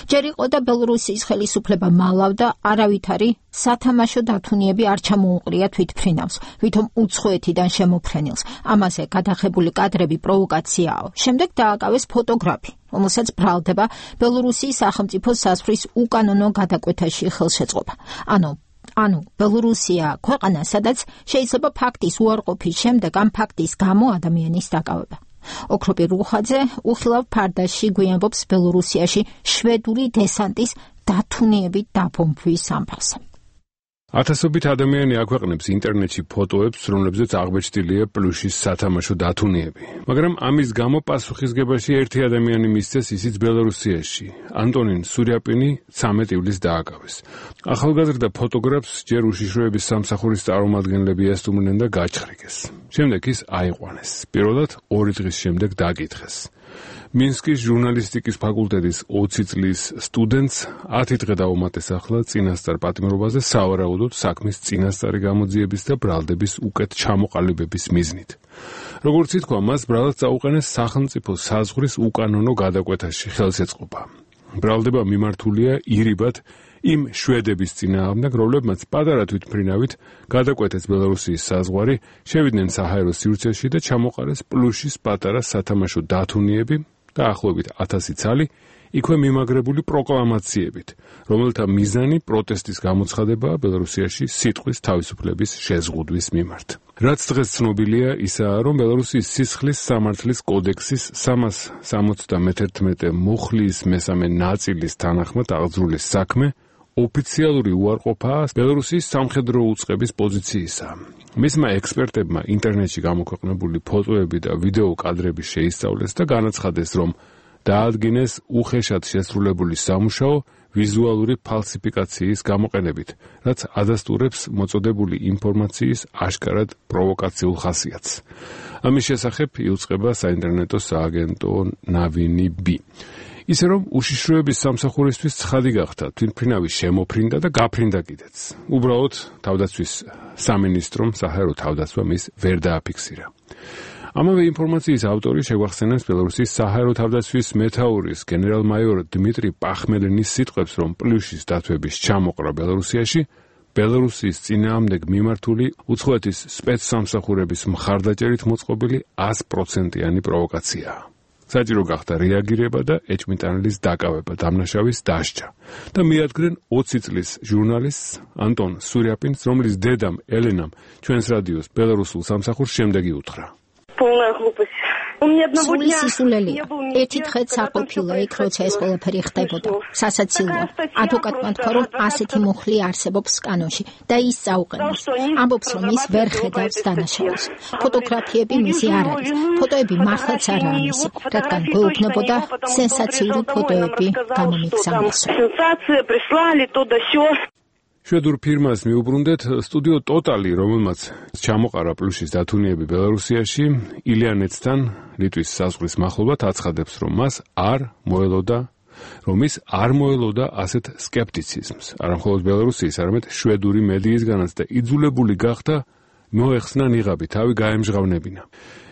ჯერ იყო და ბელორუსიის ხელისუფლება მალავდა არავითარი სათამაშო დათუნიები არ ჩამოუყრია თვითმფრინავს, ვითომ უცხოეთიდან შემოფრენილს. ამაზე გადაღებული კადრები პროვოკაციაო. შემდეგ დააკავეს ფოტოგრაფი, რომელსაც ბრალდება ბელორუსიის სახელმწიფო საზღვრის უკანონო გადაკვეთაში ხელშეწყობა. ანუ ბელორუსია ქვეყანა, სადაც შეიძლება ფაქტის უარყოფის შემდეგ ამ ფაქტის გამო ადამიანის დაკავება. ოქროპი რუხაძე უხილავ ფარდაში გვიამბობს ბელორუსიაში შვედური დესანტის დათუნიებით დაბომბვის ამბავს. ათასობით ადამიანი აქვეყნებს ინტერნეტში ფოტოებს, რომლებზეც აღბეჭდილია პლუშის სათამაშო დათუნიები. მაგრამ ამის გამო პასუხისგებაში ერთი ადამიანი მისცეს, ისიც ბელორუსიაში. ანტონინ სურიაპინი 13 ივლისს დააკავეს. ახალგაზრდა ფოტოგრაფს ჯერ უშიშროების სამსახურის წარმომადგენლები ესტუმრნენ და გაჩხრიკეს. შემდეგ ის აიყვანეს. პირველად 2 დღის შემდეგ დაკითხეს. მინსკის ჟურნალისტიკის ფაკულტეტის 20 წლის სტუდენტს 10 დღე დაუმატეს ახლა წინასწარ პატიმრობაზე სავარაუდოდ საქმის წინასწარი გამოძიების და ბრალდების უკეთ ჩამოყალიბების მიზნით. როგორც ითქვა, მას ბრალად წაუყენეს სახელმწიფო საზღვრის უკანონო გადაკვეთაში ხელშეწყობა. ბრალდება მიმართულია ირიბად იმ შვედების წინააღმდეგ, რომლებმაც პატარა თვითმფრინავით გადაკვეთეს ბელორუსიის საზღვარი, შევიდნენ საჰაერო სივრცეში და ჩამოყარეს პლუშის პატარა სათამაშო დათუნიები, დაახლოებით 1000 ცალი, იქვე მიმაგრებული პროკლამაციებით, რომელთა მიზანი პროტესტის გამოცხადებაა ბელორუსიაში სიტყვის თავისუფლების შეზღუდვის მიმართ. რაც დღეს ცნობილია ისაა, რომ ბელორუსიის სისხლის სამართლის კოდექსის 371 მუხლის მესამე ნაწილის თანახმად აღძრული საქმე ოფიციალური უარყოფაა ბელორუსის სამხედრო უწყების პოზიციისა. მისმა ექსპერტებმა ინტერნეტში გამოქვეყნებული ფოტოები და ვიდეო კადრები შეისწავლეს და განაცხადეს, რომ დაადგინეს უხეშად შესრულებული სამუშაო ვიზუალური ფალსიფიკაციის გამოყენებით, რაც ადასტურებს მოწოდებული ინფორმაციის აშკარად პროვოკაციულ ხასიათს. ამის შესახებ იუწყება საინტერნეტო სააგენტო ნავინი ბი. ისე რომ უშიშროების სამსახურისთვის ცხადი გახდა, თვითმფრინავი შემოფრინდა და გაფრინდა კიდეც. უბრალოდ თავდაცვის სამინისტრომ საჰაერო თავდაცვა მის ვერ დააფიქსირა. ამავე ინფორმაციის ავტორი შეგვახსენებს ბელორუსის საჰაერო თავდაცვის მეთაურის გენერალ-მაიორ დმიტრი პახმელინის სიტყვებს, რომ პლუშის დათვების ჩამოყრა ბელორუსიაში ბელორუსის წინააღმდეგ მიმართული უცხოეთის სპეცსამსახურების მხარდაჭერით მოწყობილი 100%-იანი პროვოკაციაა. საჭირო გახდა რეაგირება და ეჭვმიტანილის დაკავება, დამნაშავის დასჯა და მიადგნენ 20 წლის ჟურნალისტს ანტონ სურიაპინს, რომლის დედამ ელენამ ჩვენს რადიოს ბელორუსულ სამსახურს შემდეგი უთხრა. სული სისულელია. ერთი დღეც არ ყოფილა იქ, როცა ეს ყველაფერი ხდებოდა. სასაცილოა. ადვოკატმა თქვა, რომ ასეთი მუხლი არსებობს კანონში და ის წაუყენებს. ამბობს, რომ ის ვერ ხედავს დანაშაულს. ფოტოგრაფიები მისი არ არის. ფოტოები მართლაც არაა მისი, რადგან გვეუბნებოდა სენსაციური ფოტოები გამომიგზავნეს. შვედურ ფირმას მიუბრუნდეთ სტუდიო ტოტალი, რომელმაც ჩამოყარა პლუშის დათუნიები ბელორუსიაში, ილიანეცთან ლიტვის საზღვრის მახლობლად აცხადებს, რომ ის არ მოელოდა ასეთ სკეპტიციზმს. არამხოლოდ ბელორუსიის, არამედ შვედური მედიისგანაც და იძულებული გახდა მოეხსნა ნიღაბი, თავი გაემჟღავნებინა.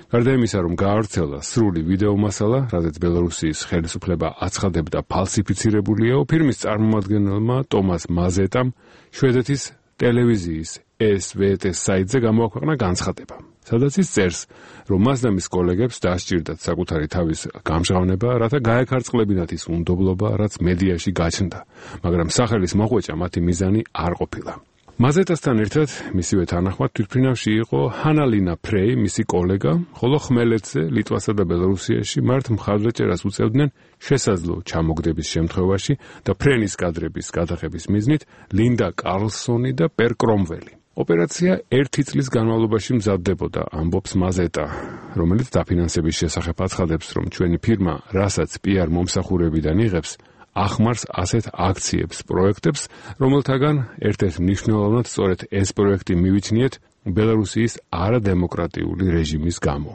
გარდა იმისა, რომ გაავრცელა სრული ვიდეო მასალა, რაზეც ბელორუსიის ხელისუფლება აცხადებდა ფალსიფიცირებულიაო, ფირმის წარმომადგენელმა ტომას მაზეტამ შვედეთის ტელევიზიის SVT საიტზე გამოაქვეყნა განცხადება, სადაც ის წერს, რომ მას და მის კოლეგებს დასჭირდათ საკუთარი თავის გამჟღავნება, რათა გაეკარწყლებინათ ის უნდობლობა, რაც მედიაში გაჩნდა, მაგრამ სახელის მოხვეჭა მათი მიზანი არ ყოფილა. მაზეტასთან ერთად მისივე თანახმად თვითმფრინავში იყო ჰანალინა ფრეი, მისი კოლეგა, ხოლო ხმელეთზე, ლიტვასა და ბელორუსიაში მართ მხარდაჭერას უწევდნენ შესაძლო ჩამოგდების შემთხვევაში და ფრენის კადრების გადაღების მიზნით ლინდა კარლსონი და პერ კრომველი. ოპერაცია 1 წლის განმავლობაში მზადდებოდა, ამბობს მაზეტა, რომელიც დაფინანსების შესახებ აცხადებს, რომ ჩვენი ფირმა, რასაც PR მომსახურებიდან იღებს, ახმარს ასეთ აქციებს, პროექტებს, რომელთაგან ერთ-ერთ მნიშვნელოვნად სწორედ ეს პროექტი მივიჩნიეთ ბელორუსიის არადემოკრატიული რეჟიმის გამო.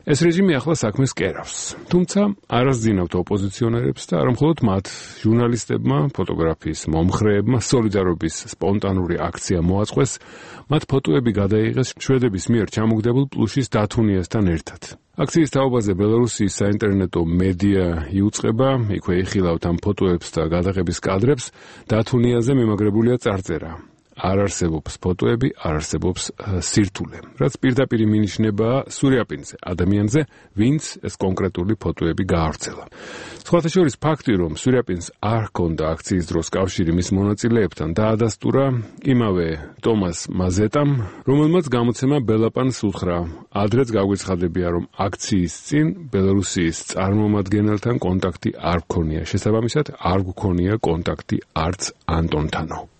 ეს რეჟიმი ახლა საქმეს კერავს. თუმცა არასძინავთ ოპოზიციონერებს და არა მხოლოდ მათ, ჟურნალისტებმა, ფოტოგრაფიის მომხრეებმა სოლიდარობის სპონტანური აქცია მოაწყვეს, მათ ფოტოები გადაიღეს შვედების მიერ ჩამოგდებულ პლუშის დათუნიასთან ერთად. აქციის თაობაზე ბელარუსის საინტერნეტო მედია იუწყება, იქვე იხილავთ ამ ფოტოებს და გადაღების კადრებს, დათუნიაზე მემაგრებულია წარწერა. არ არსებობს ფოტოები, არ არსებობს სირთულე. რაც პირდაპირ მინიშნება სურიაპინზე, ადამიანზე, ვინც ეს კონკრეტული ფოტოები გაავრცელა. სხვათა შორის ფაქტი, რომ სურიაპინს არ ჰქონდა აქციის დროს კავშირი მის მონაწილეებთან, დაადასტურა იმავე ტომას მაზეტამ, რომელმაც გამოცემა ბელაპანს უთხრა. ადრეც გაგვეცხადებია, რომ აქციის წინ ბელარუსის წარმომადგენელთან კონტაქტი არ გქონია. შესაბამისად, არ გქონია კონტაქტი არც ანტონთანო.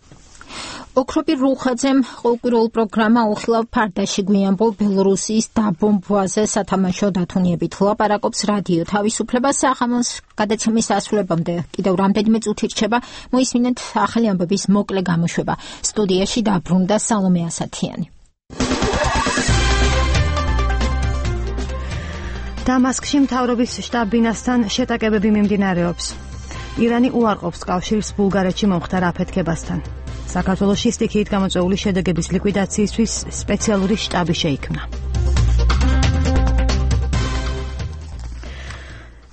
ოქროპი რუხაძემ ყოველკვირეულ პროგრამა უხილავ ფარდაში გვიანბოლ ბელორუსიის დაბომბვაზე სათამაშო დათუნიებით ლაპარაკობს რადიო თავისუფლება საღამოს გადაცემის ასრულებამდე კიდევ რამდენიმე წუთი რჩება მოისმინეთ ახალი ამბების მოკლე გამოშვება სტუდიაში დაბრუნდა სალომე ასათიანი დამასკში მთავრობის შტაბ-ბინასთან შეტაკებები მიმდინარეობს ირანი უარყოფს კავშირს ბულგარეთში მომხდარ აფეთქებასთან საქართველოში სტიქიით გამოწვეული შედეგების ლიკვიდაციისთვის სპეციალური შტაბი შეიქმნა.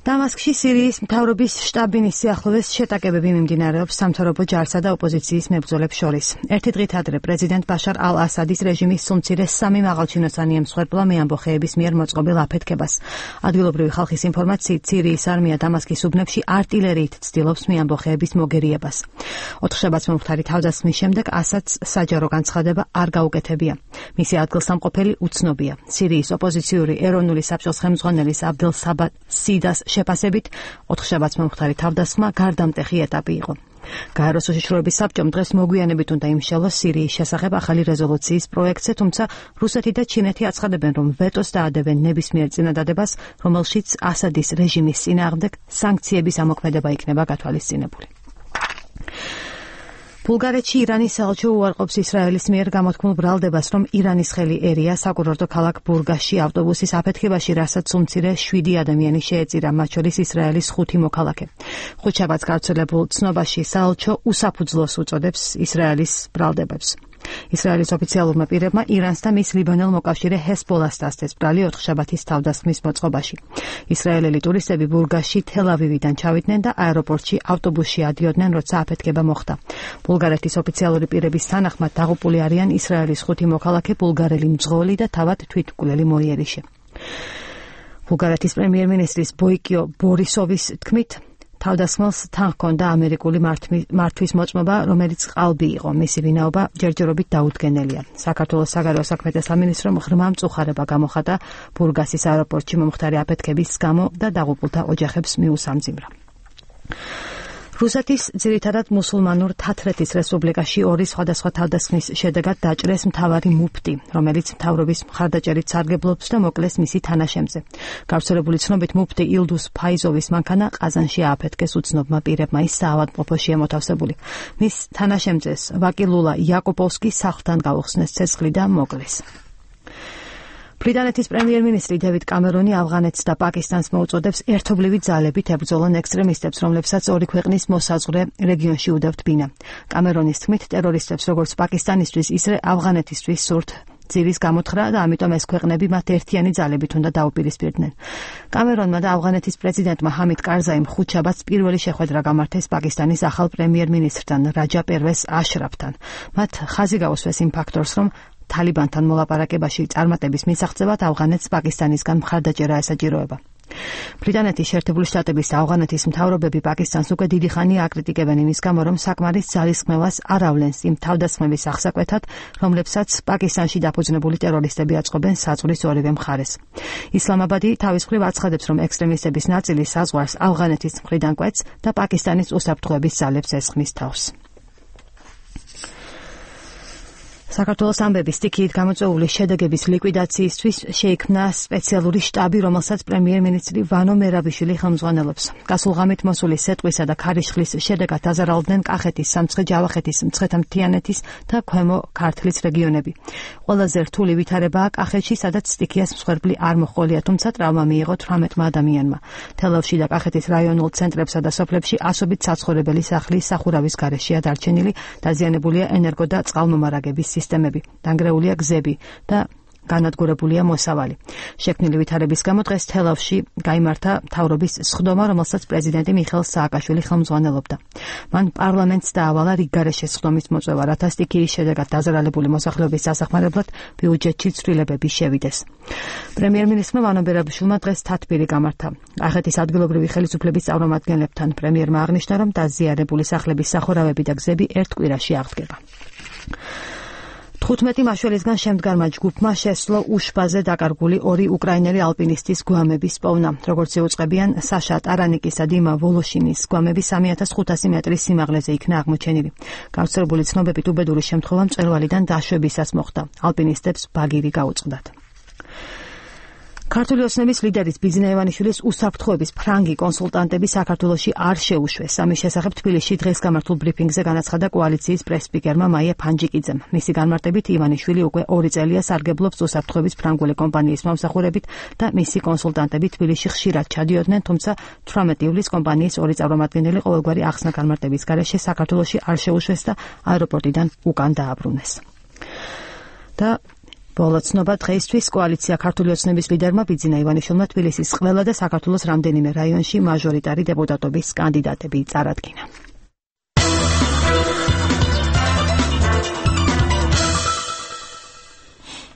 დამასკში სირიის მთავრობის შტაბ-ბინის სიახლოვეს შეტაკებები მიმდინარეობს სამთავრობო ჯარსა და ოპოზიციის მებრძოლებს შორის. ერთი დღით ადრე პრეზიდენტ ბაშარ ალ-ასადის რეჟიმის სუმცირე 3 მაღალჩინოსანი ემსხვერპლა მეამბოხეების მიერ მოწყობილ აფეთქებას. ადგილობრივი ხალხის ინფორმაციით სირიის არმია დამასკის უბნებში არტილერიით ცდილობს მეამბოხეების მოგერიებას. 4 შაბათს მომხდარი თავდასხმის შემდეგ ასადს საჯარო განცხადება არ გაუკეთებია. მისი ადგილსამყოფელი უცნობია. სირიის ოპოზიციური ეროვნული საბჭოს ხელმძღვანელის აბდელ საბა სიდას შეფასებით 4 შაბათს მომხდარი თავდასხმა გარდამტეხი ეტაპი იყო. გაეროს უშიშროების საბჭომ დღეს მოგვიანებით უნდა იმსჯელოს სირიის შესახებ ახალი რეზოლუციის პროექტზე, თუმცა რუსეთი და ჩინეთი აცხადებენ, რომ ვეტოს დაადებენ ნებისმიერ წინადადებას, რომელშიც ასადის რეჟიმის წინააღმდეგ სანქციების ამოქმედება იქნება გათვალისწინებული. ბულგარეთში ირანის საელჩო უარყოფს ისრაელის მიერ გამოთქმულ ბრალდებას, რომ ირანის ხელი ერია საკურორტო ქალაქ ბურგასში ავტობუსის აფეთქებაში, რასაც უმცირე 7 ადამიანი შეეწირა, მათ შორის ისრაელის 5 მოქალაქე. ხუთშაბათს გავრცელებულ ცნობაში საელჩო უსაფუძვლოს უწოდებს ისრაელის ბრალდებებს. ისრაელის ოფიციალურმა პირებმა ირანს და მის ლიბანელ მოკავშირე ჰესბოლას დასწეს ბრალი 4 შაბათის თავდასხმის მოწყობაში. ისრაელელი ტურისტები ბურგასში თელ-ავივიდან ჩავიდნენ და აეროპორტში ავტობუსში ადიოდნენ, როცა აფეთქება მოხდა. ბულგარეთის ოფიციალური პირების თანახმად დაღუპული არიან ისრაელის 5 მოქალაქე, ბულგარელი მძღოლი და თავად თვითმკვლელი მოიერიში. ბულგარეთის პრემიერ-მინისტრის ბოიკიო ბორისოვის თქმით, თავდასხმელს თან ჰქონდა ამერიკული მართვის მოწმობა, რომელიც ყალბი იყო. მისი ვინაობა ჯერჯერობით დაუდგენელია. საქართველოს საგარეო საქმეთა სამინისტრომ ღრმა მწუხარება გამოხატა ბურგასის აეროპორტში მომხდარი აფეთქების გამო და დაღუპულთა ოჯახებს მიუსამძიმრა. რუსეთის ძირითადად მუსულმანურ თათრეთის რესპუბლიკაში 2 სხვადასხვა თავდასხმის შედეგად დაჭრეს მთავარი მუფტი, რომელიც მთავრობის მხარდაჭერით სარგებლობს და მოკლეს მისი თანაშემზე. გავრცელებული ცნობით მუფტი ილდუს ფაიზოვის მანქანა ყაზანში ააფეთქეს უცნობმა პირებმა, ის საავადმყოფოშია მოთავსებული. მის თანაშემწეს ვაკილულა იაკოპოვსკი სახლთან გაუხსნეს ცეცხლი და მოკლეს. ბრიტანეთის პრემიერ-მინისტრი დევიდ კამერონი ავღანეთს და პაკისტანს მოუწოდებს ერთობლივი ძალებით ებრძოლონ ექსტრემისტებს, რომლებსაც ორი ქვეყნის მოსაზღვრე რეგიონში უდევთ ბინა. კამერონის თქმით, ტერორისტებს როგორც პაკისტანისთვის, ისე ავღანეთისთვის სურთ ძირის გამოთხრა და ამიტომ ეს ქვეყნები მათ ერთიანი ძალებით უნდა დაუპირისპირდნენ. კამერონმა და ავღანეთის პრეზიდენტმა ჰამიდ კარზაიმ ხუთშაბათს პირველი შეხვედრა გამართეს პაკისტანის ახალ პრემიერ-მინისტრთან რაჯა პერვეს აშრაფთან. მათ ხაზი გაუსვეს იმ ფაქტორს, რომ თალიბანთან მოლაპარაკებაში წარმატების მისაღწევად ავღანეთს პაკისტანისგან მხარდაჭერა ესაჭიროება. ბრიტანეთის შეერთებული შტატების და ავღანეთის მთავრობები პაკისტანს უკვე დიდი ხანია აკრიტიკებენ იმის გამო, რომ საკმარის ძალისხმევას არ ავლენს იმ თავდასხმების აღსაკვეთად, რომლებსაც პაკისტანში დაფუძნებული ტერორისტები აწყობენ საზღვრის ორივე მხარეს. ისლამაბადი თავის მხრივ აცხადებს, რომ ექსტრემისტების ნაწილი საზღვარს ავღანეთის მხრიდან კვეთს და პაკისტანის უსაფრთხოების ძალებს ესხმის თავს. საქართველოს ამბების სტიქიით გამოწვეული შედეგების ლიკვიდაციისთვის შეიქმნა სპეციალური შტაბი, რომელსაც პრემიერ-მინისტრი ვანო მერაბიშვილი ხელმძღვანელობს. გასულ ღამით მოსული სეტყვისა და ქარიშხლის შედეგად დაზარალდნენ კახეთის, სამცხე, ჯავახეთის, მცხეთა-მთიანეთის და ქვემო ქართლის რეგიონები. ყველაზე რთული ვითარებაა კახეთში, სადაც სტიქიას მსხვერპლი არ მოჰყოლია, თუმცა ტრავმა მიიღო 18 ადამიანმა. თელავში და კახეთის რაიონულ ცენტრებსა და სოფლებში ასობით საცხოვრებელი სახლი სახურავის გარეშეა დარჩენილი, დაზიანებულია ენერგო და წყალმომარაგების სისტემები, დანგრეულია გზები და განადგურებულია მოსავალი. შექმნილი ვითარების გამო დღეს თელავში გაიმართა მთავრობის სხდომა, რომელსაც პრეზიდენტი მიხეილ სააკაშვილი ხელმძღვანელობდა. მან პარლამენტს დაავალა რიგგარეშე სხდომის მოწვევა, რათა სტიქიის შედეგად დაზარალებული მოსახლეობის დასახმარებლად ბიუჯეტში ცვლილებები შევიდეს. პრემიერ-მინისტრმა ვანო მერაბიშვილმა დღეს თათბირი გამართა. კახეთის ადგილობრივი ხელისუფლების წარმომადგენლებთან პრემიერმა აღნიშნა, რომ დაზიანებული სახლების სახურავები და გზები ერთ კვირაში აღდგება. 15 მაშველისგან შემდგარმა ჯგუფმა შესძლო უშბაზე დაკარგული 2 უკრაინელი ალპინისტის გვამების პოვნა. როგორც იუწყებიან, საშა ტარანიკის და დიმა ვოლოშინის გვამები 3500 მეტრის სიმაღლეზე იქნა აღმოჩენილი. გავრცელებული ცნობებით უბედური შემთხვევა მწვერვალიდან დაშვებისას მოხდა. ალპინისტებს ბაგირი გაუწყდათ. ქართული ოცნების ლიდერის ბიძინა ივანიშვილის უსაფრთხოების ფრანგი კონსულტანტები საქართველოში არ შეუშვეს. ამის შესახებ თბილისში დღეს გამართულ ბრიფინგზე განაცხადა კოალიციის პრეს-სპიკერმა მაია ფანჯიკიძემ. მისი განმარტებით ივანიშვილი უკვე 2 წელია სარგებლობს უსაფრთხოების ფრანგული კომპანიის მომსახურებით და მისი კონსულტანტები თბილისში ხშირად ჩადიოდნენ, თუმცა 18 ივლისს კომპანიის 2 წარმომადგენელი ყოველგვარი ახსნა განმარტების გარეშე საქართველოში არ შეუშვეს და აეროპორტიდან უკან დააბრუნეს. და ბოლოცნობა დღეისთვის კოალიცია ქართული ოცნების ლიდერმა ბიძინა ივანიშვილმა თბილისის ყველა და საქართველოს რამდენიმე რაიონში მაჟორიტარი დეპუტატობის კანდიდატები წარადგინა.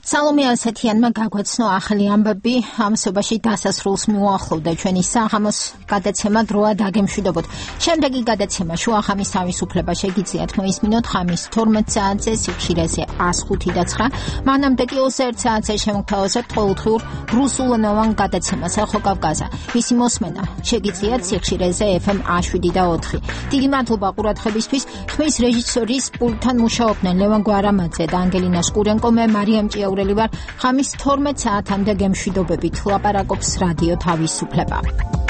სალომე ასათიანმა გაგვაცნო ახალი ამბები, ამასობაში დასასრულს მიუახლოვდა ჩვენი საღამოს გადაცემა დროა დაგემშვიდობოთ. შემდეგი გადაცემა შუახამის თავისუფლება შეგიძლიათ მოისმინოთ ხამის 12 საათზე სიხშირეზე 105 და 9. მანამდე კი 21 საათზე შემოგთავაზებთ ყოველდღიურ რუსულენოვან გადაცემას ახო კავკაზა. მისი მოსმენა შეგიძლიათ სიხშირეზე FM 7 და 4. დიდი მადლობა ყურადღებისთვის. ხმის რეჟისორის პულტთან მუშაობდნენ ლევან გვარამაძე და ანგელინა სკურენკო, მე მარიამ ჭიაურელი ვარ. ხამის 12 საათამდე გემშვიდობებით ლაპარაკობს რადიო თავისუფლება.